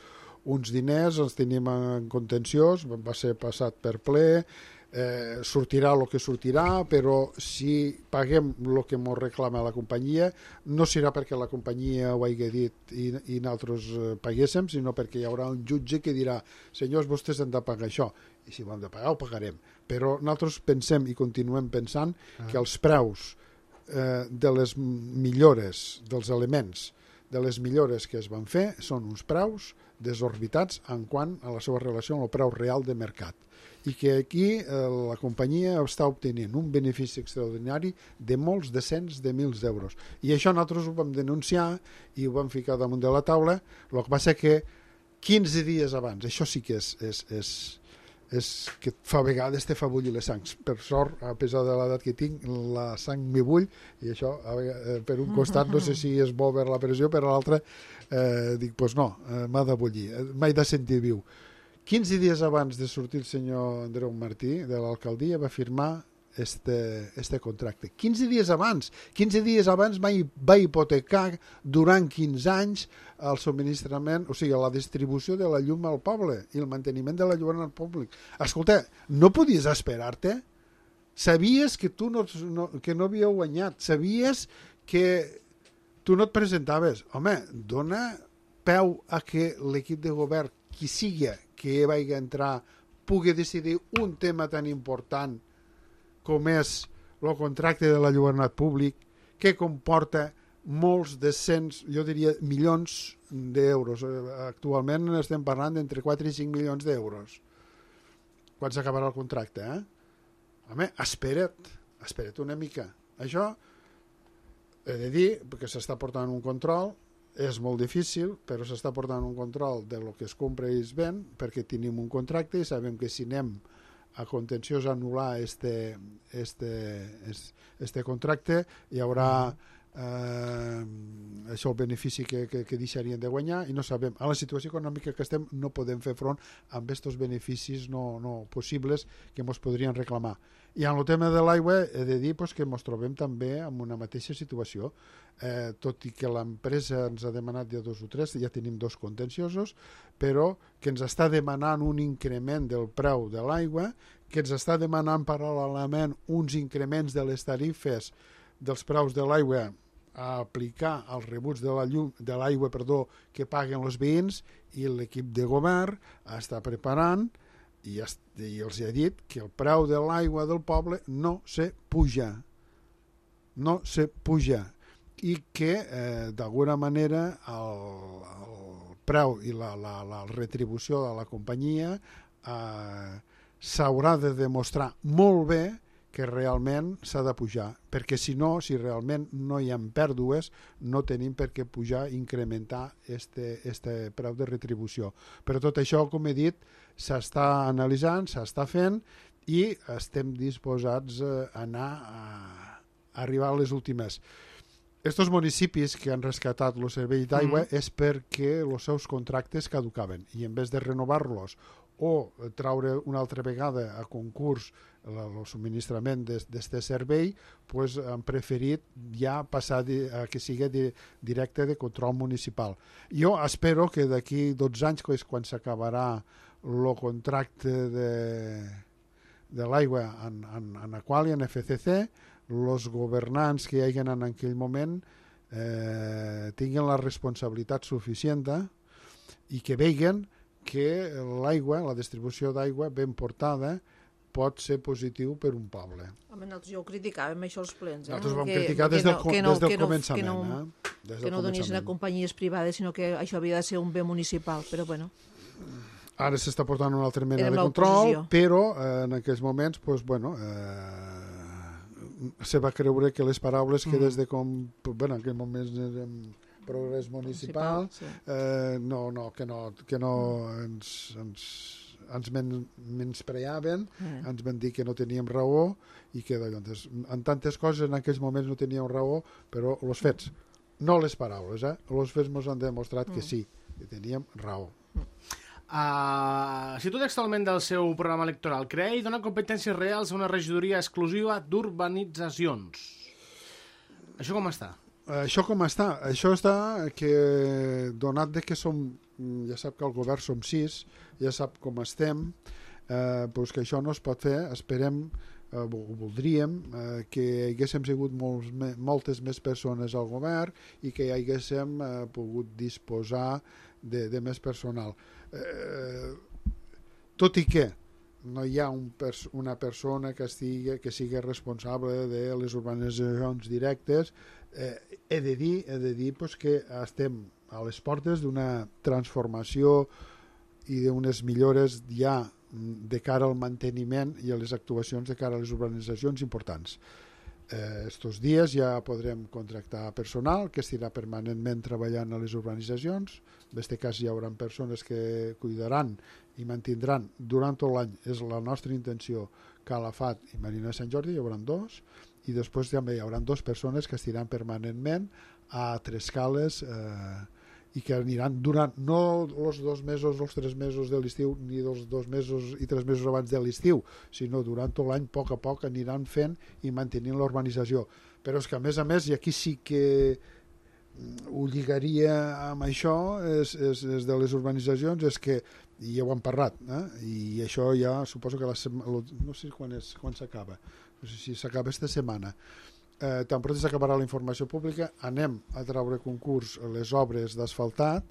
uns diners, els tenim en contenciós, va ser passat per ple. eh, sortirà el que sortirà, però si paguem el que ens reclama la companyia, no serà perquè la companyia ho hagi dit i, i nosaltres paguéssim, sinó perquè hi haurà un jutge que dirà, senyors, vostès han de pagar això, i si ho hem de pagar ho pagarem. Però nosaltres pensem i continuem pensant ah. que els preus eh, de les millores, dels elements, de les millores que es van fer, són uns preus desorbitats en quant a la seva relació amb el preu real de mercat. I que aquí eh, la companyia està obtenint un benefici extraordinari de molts de cents de mils d'euros. I això nosaltres ho vam denunciar i ho vam ficar damunt de la taula, el que passa que quinze dies abans, això sí que és, és, és, és que fa vegades te fa bullir les sangs. Per sort, a pesar de l'edat que tinc, la sang m'hi bull, i això eh, per un costat no sé si és bo per la pressió, per l'altre eh, dic, doncs pues no, eh, m'ha de bullir, m'he de sentir viu. quinze dies abans de sortir el senyor Andreu Martí de l'alcaldia va firmar este, este contracte. quinze dies abans. quinze dies abans va, va hipotecar durant quinze anys el subministrament, o sigui, la distribució de la llum al poble i el manteniment de la llum al públic. Escolta, no podies esperar-te? Sabies que tu no, no, que no havíeu guanyat. Sabies que tu no et presentaves. Home, dona peu a que l'equip de govern, qui sigui que vagi a entrar, pugui decidir un tema tan important com és el contracte de l'alluernat públic, que comporta molts de cents, jo diria, milions d'euros. Actualment estem parlant d'entre quatre i cinc milions d'euros. Quan s'acabarà el contracte, eh? Home, espera't, espera't una mica. Això he de dir, perquè s'està portant un control, és molt difícil, però s'està portant un control de lo que es compra i es ven, perquè tenim un contracte i sabem que si anem a contenciós a anul·lar este, este, este contracte hi haurà eh, això el benefici que, que, que deixarien de guanyar i no sabem. A la situació econòmica que estem no podem fer front amb aquests beneficis no, no possibles que ens podrien reclamar. I en el tema de l'aigua he de dir pues, que ens trobem també en una mateixa situació. Eh, tot i que l'empresa ens ha demanat ja dos o tres, ja tenim dos contenciosos, però que ens està demanant un increment del preu de l'aigua, que ens està demanant paral·lelament uns increments de les tarifes dels preus de l'aigua a aplicar als rebuts de la llum, de l'aigua perdó, que paguen els veïns, i l'equip de govern està preparant i, i els ha dit que el preu de l'aigua del poble no se puja. No se puja. I que, eh, d'alguna manera, el, el preu i la, la, la retribució de la companyia eh, s'haurà de demostrar molt bé que realment s'ha de pujar, perquè si no, si realment no hi ha pèrdues, no tenim per què pujar i incrementar este, este preu de retribució. Però tot això, com he dit, s'està analitzant, s'està fent i estem disposats a anar a, a arribar a les últimes. Estos municipis que han rescatat el servei d'aigua mm. és perquè els seus contractes caducaven i en vez de renovar-los o traure una altra vegada a concurs el subministrament d'aquest servei, pues, han preferit ja passar a que sigui directe de control municipal. Jo espero que d'aquí dotze anys, que és quan s'acabarà el contracte de, de l'aigua en, en, en Aqualia, en F C C, els governants que hi hagin en aquell moment eh, tinguin la responsabilitat suficient i que vegin que l'aigua, la distribució d'aigua ben portada pot ser positiu per un poble. Home, nosaltres ja ho criticàvem, això els plens. Eh? Nosaltres ho vam que, criticar des del, que no, des del que no, començament. Que no, eh? Des que no donissin a companyies privades, sinó que això havia de ser un bé municipal, però bueno. Ara s'està portant una altra mena de control, però eh, en aquells moments, pues, bueno, eh, se va creure que les paraules que des de com... Bueno, en aquell moment érem progrés municipal, sí. eh, no, no, que no, que no ens, ens, ens men, menyspreaven, eh. ens van dir que no teníem raó i que doncs, en tantes coses en aquells moments no teníem raó, però els fets, no les paraules, eh? Els fets ens han demostrat mm. que sí, que teníem raó. Uh, cito textualment del seu programa electoral: crear i donar competències reals a una regidoria exclusiva d'urbanitzacions. Això com està? Això com està? Això està que, donat de que som, ja sap que al govern som sis, ja sap com estem, eh, pues que això no es pot fer. Esperem, eh, voldríem eh, que hi haguéssim sigut molts, moltes més persones al govern i que hi haguéssim eh, pogut disposar de, de més personal. Eh, tot i que no hi ha un pers una persona que, estigui, que sigui responsable de les urbanitzacions directes, eh, he de dir, he de dir pues, que estem a les portes d'una transformació i d'unes millores ja de cara al manteniment i a les actuacions de cara a les urbanitzacions importants. Eh, estos dies ja podrem contractar personal que estirà permanentment treballant a les urbanitzacions. En aquest cas hi haurà persones que cuidaran i mantindran durant tot l'any. És la nostra intenció Calafat i Marina de Sant Jordi, hi haurà dos, i després també hi haurà dues persones que estiran permanentment a Trescales eh, i que aniran durant no els dos mesos, els tres mesos de l'estiu, ni els dos mesos i tres mesos abans de l'estiu, sinó durant tot l'any, a poc a poc, aniran fent i mantenint l'urbanització. Però és que, a més a més, i aquí sí que ho lligaria amb això, és, és, és de les urbanitzacions, és que, i ja ho hem parlat, eh? I això ja suposo que la setmana, no sé quan és, quan s'acaba, no sé si s'acaba esta setmana, Eh, tan pront s'acabarà la informació pública, anem a treure concurs les obres d'asfaltat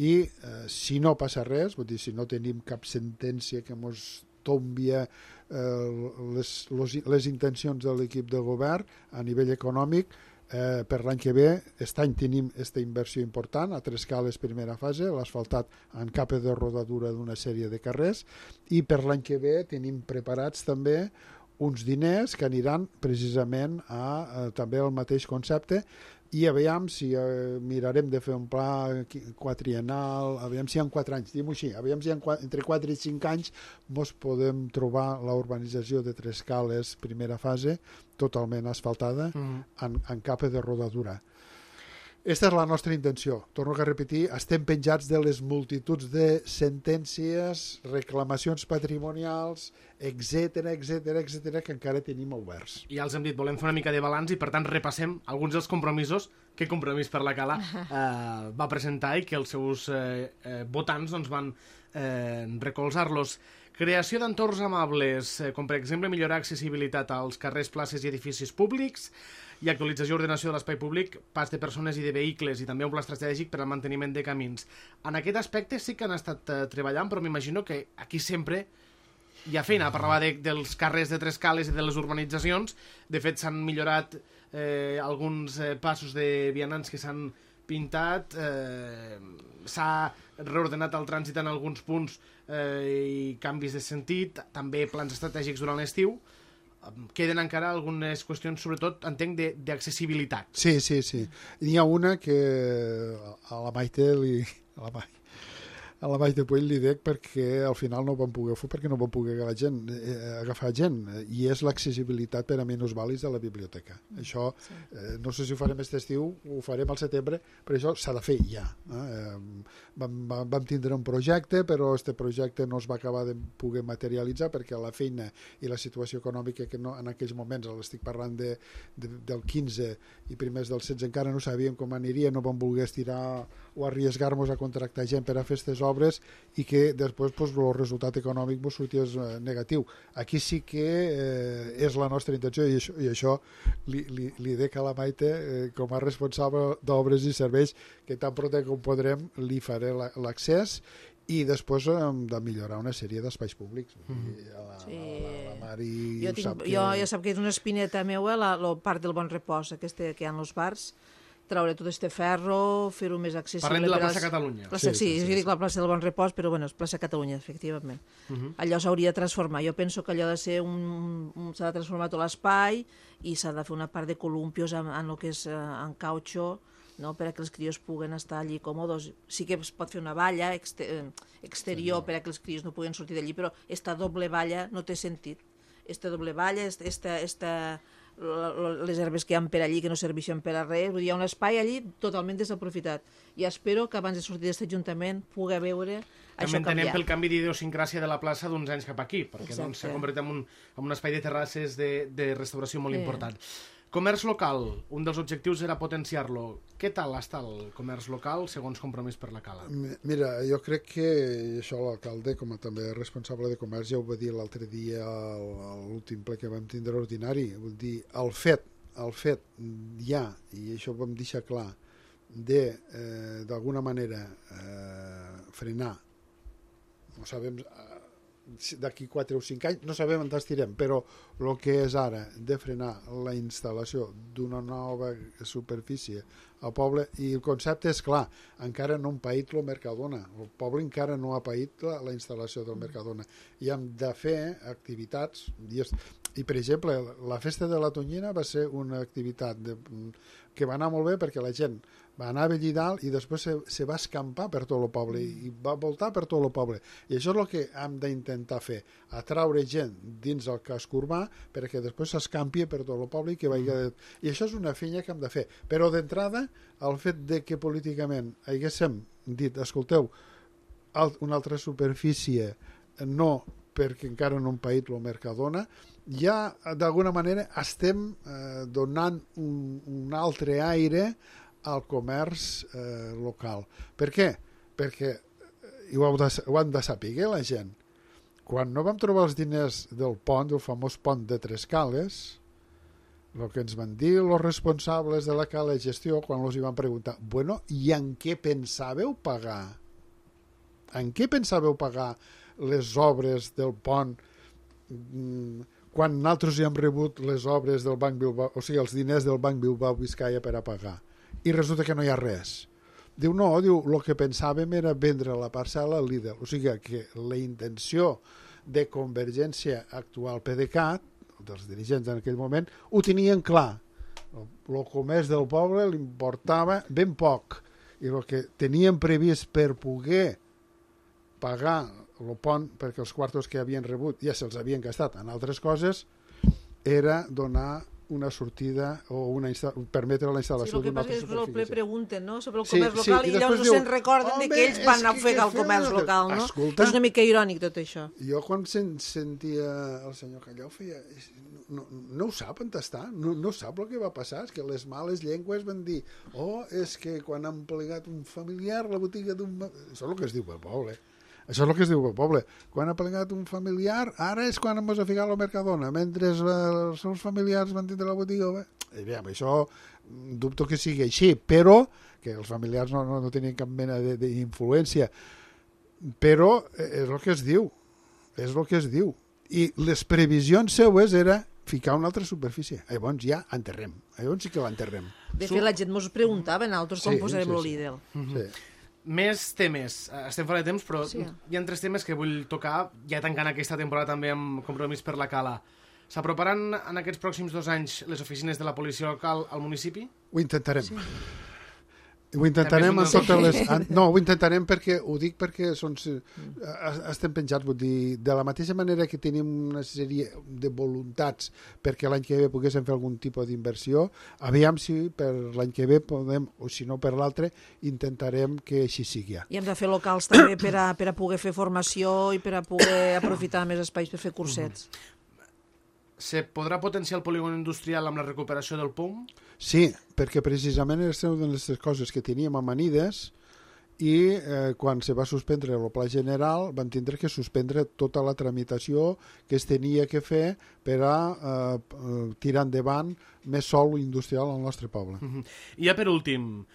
i eh, si no passa res, vull dir, si no tenim cap sentència que ens tombia eh, les, les, les intencions de l'equip de govern a nivell econòmic, eh, per l'any que ve, aquest any tenim aquesta inversió important, a Trescales primera fase, l'asfaltat en capa de rodadura d'una sèrie de carrers, i per l'any que ve tenim preparats també uns diners que aniran precisament a eh, també al mateix concepte, i aviam si eh, mirarem de fer un pla quatriennal, aviam si en quatre anys, diguem-ho així, aviam si en quatre, entre quatre i cinc anys mos podem trobar la urbanització de Trescales primera fase totalment asfaltada mm. en, en capa de rodadura. Aquesta és la nostra intenció. Torno a repetir, estem penjats de les multituds de sentències, reclamacions patrimonials, etcètera, etcètera, etcètera, que encara tenim oberts. Ja els hem dit, volem fer una mica de balanç i, per tant, repassem alguns dels compromisos que Compromís per la Cala eh, va presentar i que els seus eh, eh, votants doncs, van eh, recolzar-los. Creació d'entorns amables, eh, com per exemple millorar accessibilitat als carrers, places i edificis públics, i actualització i ordenació de l'espai públic, pas de persones i de vehicles, i també un pla estratègic per al manteniment de camins. En aquest aspecte sí que han estat eh, treballant, però m'imagino que aquí sempre hi ha feina. Parlava de, dels carrers de Trescales i de les urbanitzacions. De fet, s'han millorat eh, alguns eh, passos de vianants que s'han pintat, eh, s'ha reordenat el trànsit en alguns punts eh, i canvis de sentit, també plans estratègics durant l'estiu. Queden encara algunes qüestions, sobretot, entenc, d'accessibilitat. Sí, sí, sí. N'hi ha una que a la Maite li... A la Maite. A la Maite Puig li dic perquè al final no ho vam poder fer perquè no vam poder agafar gent, eh, agafar gent i és l'accessibilitat per a minusvàlids de la biblioteca. Mm, això, sí. eh, no sé si ho farem aquest estiu, ho farem al setembre, però això s'ha de fer ja. Eh? Vam, vam tindre un projecte, però aquest projecte no es va acabar de poder materialitzar perquè la feina i la situació econòmica que no, en aquells moments, l'estic parlant de, de, del quinze i primers del setze, encara no sabíem com aniria, no vam voler estirar o arriesgar-nos a contractar gent per a fer aquestes obres i que després pues, el resultat econòmic pues, sorties eh, negatiu. Aquí sí que eh, és la nostra intenció i això, i això li, li, li dec a la Maite eh, com a responsable d'obres i serveis que tan pront com podrem li faré l'accés i després hem de millorar una sèrie d'espais públics. Mm. A la, sí. a la, a la Mari jo, tinc, sap que... jo ja sap que és una espineta meua la, la part del Bon Repòs, aquesta que hi ha als bars, traure tot este ferro, fer-ho més accessible. Parlem de la plaça als... Catalunya. Plaça, sí, sí, sí, sí, dic la plaça del Bon Repòs, però bueno, és plaça Catalunya, efectivament. Uh -huh. Allò s'hauria de transformar. Jo penso que allò ha de ser un... un s'ha de transformar tot l'espai i s'ha de fer una part de columpios en, en el que és en cautxó, no? Per a que els crios puguen estar allí còmodes. Sí que es pot fer una valla exter exterior sí, per a que els crios no puguen sortir d'allí, però esta doble valla no té sentit. Esta doble valla, esta... esta, esta les herbes que hi ha per allí que no serveixen per a res, vull dir, hi ha un espai allí totalment desaprofitat i espero que abans de sortir d'aquest ajuntament pugui veure també això entenem canviar. Pel canvi d'idiosincràsia de la plaça d'uns anys cap aquí, perquè doncs, s'ha convertit en un, en un espai de terrasses de, de restauració molt sí. important. Comerç local, un dels objectius era potenciar-lo. Què tal està el comerç local segons Compromís per la Cala? Mira, jo crec que això l'alcalde, com a també responsable de comerç, ja ho va dir l'altre dia a l'últim ple que vam tindre ordinari. Vull dir, el fet, el fet ja, i això ho vam deixar clar, de, eh, d'alguna manera, eh, frenar, no sabem... d'aquí quatre o cinc anys, no sabem on estirem, però el que és ara de frenar la instal·lació d'una nova superfície al poble, i el concepte és clar, encara no hem paït el Mercadona, el poble encara no ha paït la, la instal·lació del Mercadona, i hem de fer activitats, i, és, i per exemple, la festa de la Tonyina va ser una activitat de, que va anar molt bé perquè la gent va anar a Bellidal i després se, se va escampar per tot el poble i va voltar per tot el poble. I això és el que hem d'intentar fer, atraure gent dins el casc urbà perquè després s'escampi per tot el poble i que vagi... I això és una feina que hem de fer. Però d'entrada, el fet de que políticament haguéssim dit, escolteu, una altra superfície no, perquè encara no hem paït el Mercadona, ja d'alguna manera estem eh, donant un, un altre aire al comerç eh, local. Per què? Perquè, i ho, de, ho han de saber la gent, quan no vam trobar els diners del pont, del famós pont de Tres Cales, el que ens van dir els responsables de la Cala de Gestió, quan els hi van preguntar, bueno, i en què pensàveu pagar? En què pensàveu pagar les obres del pont quan nosaltres ja hem rebut les obres del Banc Bilbao, o sigui, els diners del Banc Bilbao Vizcaya per a pagar? I resulta que no hi ha res. Diu, no, diu, el que pensàvem era vendre la parcel·la al Lidl. O sigui que la intenció de Convergència actual PDeCAT, dels dirigents en aquell moment, ho tenien clar. El comerç del poble li importava ben poc. I el que tenien previst per poder pagar el pont, perquè els quartos que havien rebut ja se'ls havien gastat en altres coses, era donar una sortida o una permetre la instal·lació d'una altra superfície. Sí, el que passa és que el ple pregunten, no?, sobre el comerç sí, local, sí, i, i llavors no se'n recorden de que ells van anar a ofegar el comerç local, no? Escolta, és una mica irònic tot això. Jo quan sentia el senyor Callau feia... No, no ho sap on està, no, no sap el que va passar, és que les males llengües van dir, oh, és que quan han plegat un familiar la botiga d'un... Això és el que es diu pel poble. Això és el que es diu al poble. Quan ha plegat un familiar, ara és quan ens ha ficat al Mercadona, mentre els seus familiars van tindre la botiga. Eh, bé, això dubto que sigui així, però que els familiars no, no, no tenien cap mena d'influència. Però és el que es diu. És el que es diu. I les previsions seues era ficar una altra superfície. Llavors ja enterrem. Llavors sí que l'enterrem. De fet, la gent mos preguntava nosaltres com sí, posarem sí, el sí. Lidl. Sí. Més temes. Estem fora de temps, però sí. Hi ha tres temes que vull tocar, ja tancant aquesta temporada també amb Compromís per la Cala. S'aproparan en aquests pròxims dos anys les oficines de la policia local al municipi? Ho intentarem. Sí. Ho intentarem en totes les... No, ho intentarem perquè, ho dic perquè són, estem penjats, vull dir, de la mateixa manera que tenim una sèrie de voluntats perquè l'any que ve poguéssim fer algun tipus d'inversió, aviam si per l'any que ve podem, o si no per l'altre, intentarem que així sigui. I hem de fer locals també per a, per a poder fer formació i per a poder aprofitar més espais per fer cursets. Se podrà potenciar el polígon industrial amb la recuperació del P U M? Sí, perquè precisament és una de les coses que teníem a Manides i eh, quan se va suspendre el pla general van tindre que suspendre tota la tramitació que es tenia que fer per a eh, tirar endavant més sòl industrial al nostre poble. Uh-huh. I ja per últim,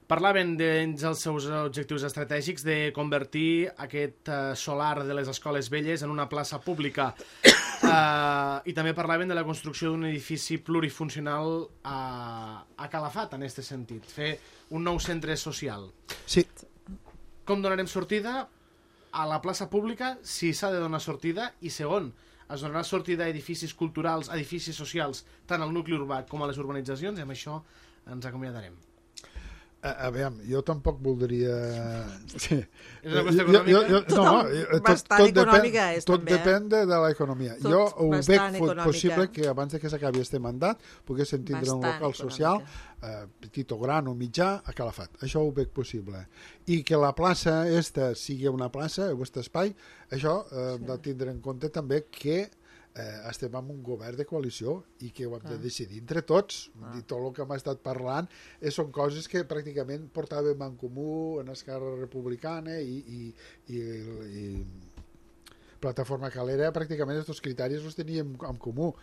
parlaven dins els seus objectius estratègics de convertir aquest uh, solar de les escoles velles en una plaça pública uh, i també parlaven de la construcció d'un edifici plurifuncional a, a Calafat, en aquest sentit, fer un nou centre social. Sí. Com donarem sortida a la plaça pública, si s'ha de donar sortida, i segon, es donarà sortida a edificis culturals, a edificis socials, tant al nucli urbà com a les urbanitzacions, i amb això ens acomiadarem. A, a veure, jo tampoc voldria... Sí. És una qüestió econòmica? Jo, jo, jo, no, tot, bastant tot econòmica depèn, és, tot també. depèn de, de l'economia. Tot jo ho veig econòmica. possible que abans de que s'acabi este mandat poguéssim tindre Bastant un local econòmica. social, eh, petit o gran o mitjà, a Calafat. Això ho veig possible. I que la plaça esta sigui una plaça, aquest espai, això eh, sí. de tindre en compte també que eh, estem en un govern de coalició i que ho hem de decidir entre tots. Ah. I tot el que hem estat parlant eh, són coses que pràcticament portàvem en comú en Esquerra Republicana i, i, i, i Plataforma Calera, pràcticament aquests criteris els teníem en comú.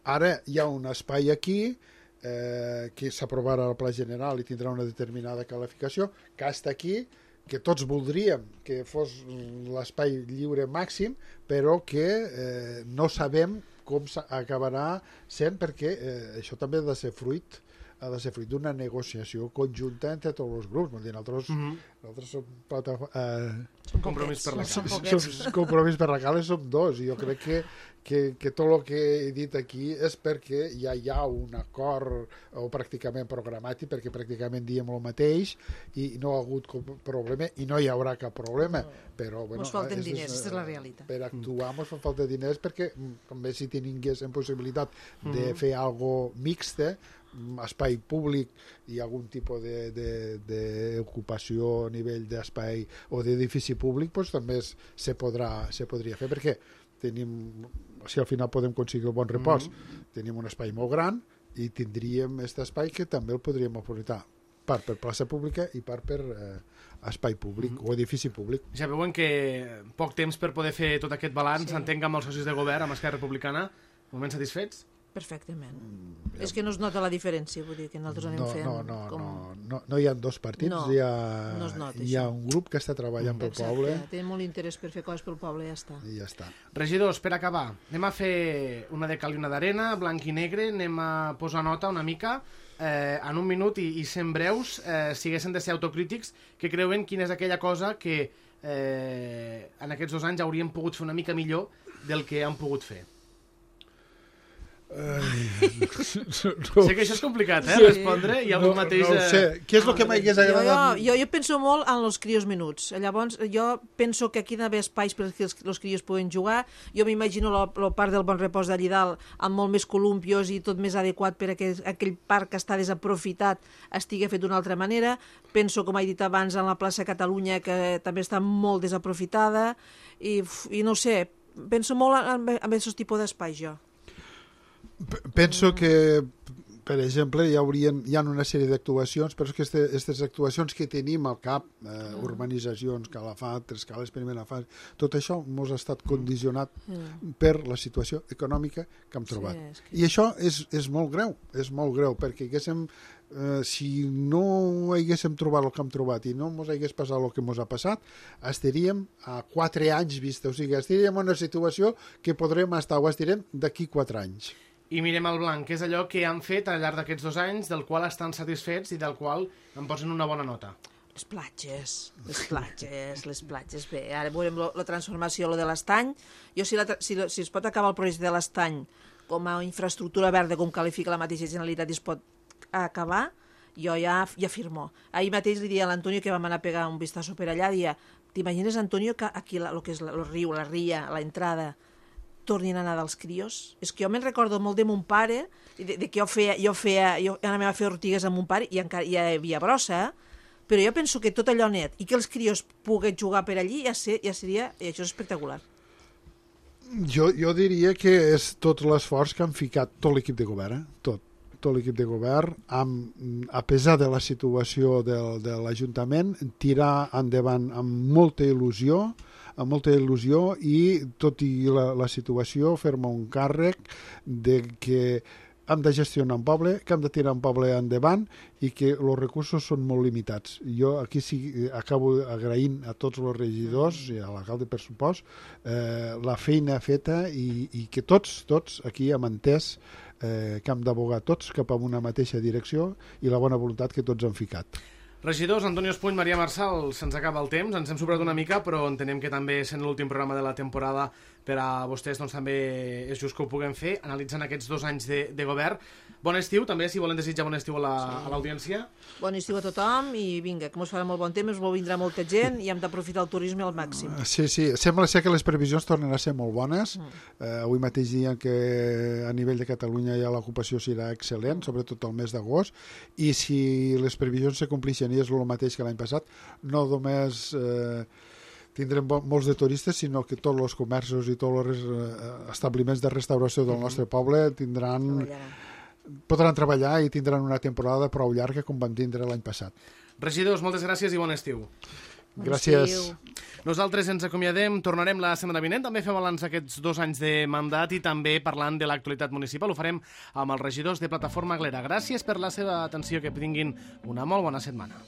Ara hi ha un espai aquí eh, que s'aprovarà al Pla General i tindrà una determinada qualificació, que està aquí, que tots voldríem que fos l'espai lliure màxim, però que eh, no sabem com acabarà sent, perquè eh, això també ha de ser fruit ha de ser fruit d'una negociació conjunta entre tots els grups. Vull dir, nosaltres, mm-hmm. nosaltres som, plata, eh, som compromís per la som, som compromís per la cala, som dos, i jo crec que, que, que tot el que he dit aquí és perquè ja hi ha un acord o pràcticament programat, perquè pràcticament diem el mateix i no ha hagut problema i no hi haurà cap problema. No. Però, bueno, ens falten és, diners, aquesta és la realitat. Per actuar ens fa falta diners, perquè també si tinguéssim possibilitat de fer algo mixta, espai públic i algun tipus d'ocupació a nivell d'espai o d'edifici públic, doncs també es, se, podrà, se podria fer, perquè tenim, si al final podem aconseguir el bon repòs, mm-hmm. tenim un espai molt gran i tindríem aquest espai que també el podríem aprofitar part per plaça pública i part per eh, espai públic mm-hmm. o edifici públic. Ja veuen que poc temps per poder fer tot aquest balanç, sí. Entenc amb els socis de govern, amb Esquerra Republicana, moments satisfets? Perfectament. Mm, ja. És que no es nota la diferència, vull dir, que nosaltres anem no, fent... No, no, com... no, no, no hi ha dos partits, no, hi ha, no es nota, hi ha un grup que està treballant mm, pel exacte, poble. Té molt interès per fer coses pel poble i ja està. I ja està. Regidors, per acabar, anem a fer una de cal i una d'arena, blanc i negre, anem a posar nota una mica, eh, en un minut i, i sent breus, eh, si haguessin de ser autocrítics, que creuen quina és aquella cosa que eh, en aquests dos anys hauríem pogut fer una mica millor del que han pogut fer. Ai, no. Sé que això és complicat, eh, sí. respondre, i avui no, mateix... No ho sé, què és el que m'hagués agradat? Jo, jo, jo penso molt en els crios menuts, llavors jo penso que aquí hi ha d'haver espais perquè els, els crios puguen jugar, jo m'imagino la, la part del Bon Repòs d'allí dalt amb molt més columpios i tot més adequat per a que aquell parc que està desaprofitat estigui fet d'una altra manera, penso, com he dit abans, en la plaça Catalunya, que també està molt desaprofitada, i, i no sé, penso molt en, en aquests tipus d'espais, jo. Penso que, per exemple, hi, haurien, hi ha una sèrie d'actuacions, però és que aquestes actuacions que tenim al cap, eh, urbanitzacions, Calafat, Tres Cales, primera fase, tot això ens ha estat condicionat mm. per la situació econòmica que hem trobat. Sí, és que... I això és, és molt greu, és molt greu, perquè haguéssim, eh, si no haguéssim trobat el que hem trobat i no ens hagués passat el que ens ha passat, estaríem a quatre anys vista, o sigui, estaríem en una situació que podrem estar, o estarem d'aquí quatre anys. I mirem el blanc, que és allò que han fet al llarg d'aquests dos anys, del qual estan satisfets i del qual en posen una bona nota. Les platges, les platges, les platges. Bé, ara veurem lo, la transformació, lo de l'estany. Jo, si, la, si, si es pot acabar el projecte de l'estany com a infraestructura verda, com qualifica la mateixa Generalitat, i es pot acabar, jo ja, ja firmo. Ahir mateix li dia a l'Antonio, que vam anar a pegar un vistazo per allà, dia, t'imagines, Antonio, que aquí el que és el riu, la ria, l'entrada, tornin a anar dels crios? És que jo me'n recordo molt de mon pare, de, de que jo feia, jo feia, jo anava a fer ortigues amb mon pare i encara hi havia brossa, però jo penso que tot allò net i que els crios puguen jugar per allí ja, ser, ja seria, i això és espectacular. Jo, jo diria que és tot l'esforç que han ficat tot l'equip de govern, eh? tot, tot l'equip de govern, amb, a pesar de la situació del, de l'Ajuntament, tirar endavant amb molta il·lusió, amb molta il·lusió i, tot i la, la situació, fer-me un càrrec de que hem de gestionar un poble, que hem de tirar un poble endavant i que els recursos són molt limitats. Jo aquí sí acabo agraint a tots els regidors i a l'alcalde, per supost, eh, la feina feta i, i que tots, tots aquí hem entès eh, que hem d'abogar tots cap a una mateixa direcció i la bona voluntat que tots han ficat. Regidors, Antonio Espuny, Maria Marçal, se'ns acaba el temps, ens hem sobrat una mica, però entenem que també, sent l'últim programa de la temporada, per a vostès doncs, també és just que ho puguem fer, analitzant aquests dos anys de, de govern. Bon estiu, també, si volen desitjar bon estiu a l'audiència. La, sí. Bon estiu a tothom i vinga, que ens farà molt bon temps, ens vindrà molta gent i hem d'aprofitar el turisme al màxim. Sí, sí, sembla ser que les previsions tornen a ser molt bones. Mm. Eh, avui mateix diuen que a nivell de Catalunya ja l'ocupació serà excel·lent, sobretot el mes d'agost, i si les previsions se complixen i és el mateix que l'any passat, no només... Eh, tindrem molts de turistes, sinó que tots els comerços i tots els establiments de restauració del nostre poble tindran, podran treballar i tindran una temporada prou llarga com vam tindre l'any passat. Regidors, moltes gràcies i bon estiu. Gràcies. Nosaltres ens acomiadem, tornarem la setmana vinent, també fem balanç aquests dos anys de mandat i també parlant de l'actualitat municipal. Ho farem amb els regidors de Plataforma Aglera. Gràcies per la seva atenció, que tinguin una molt bona setmana.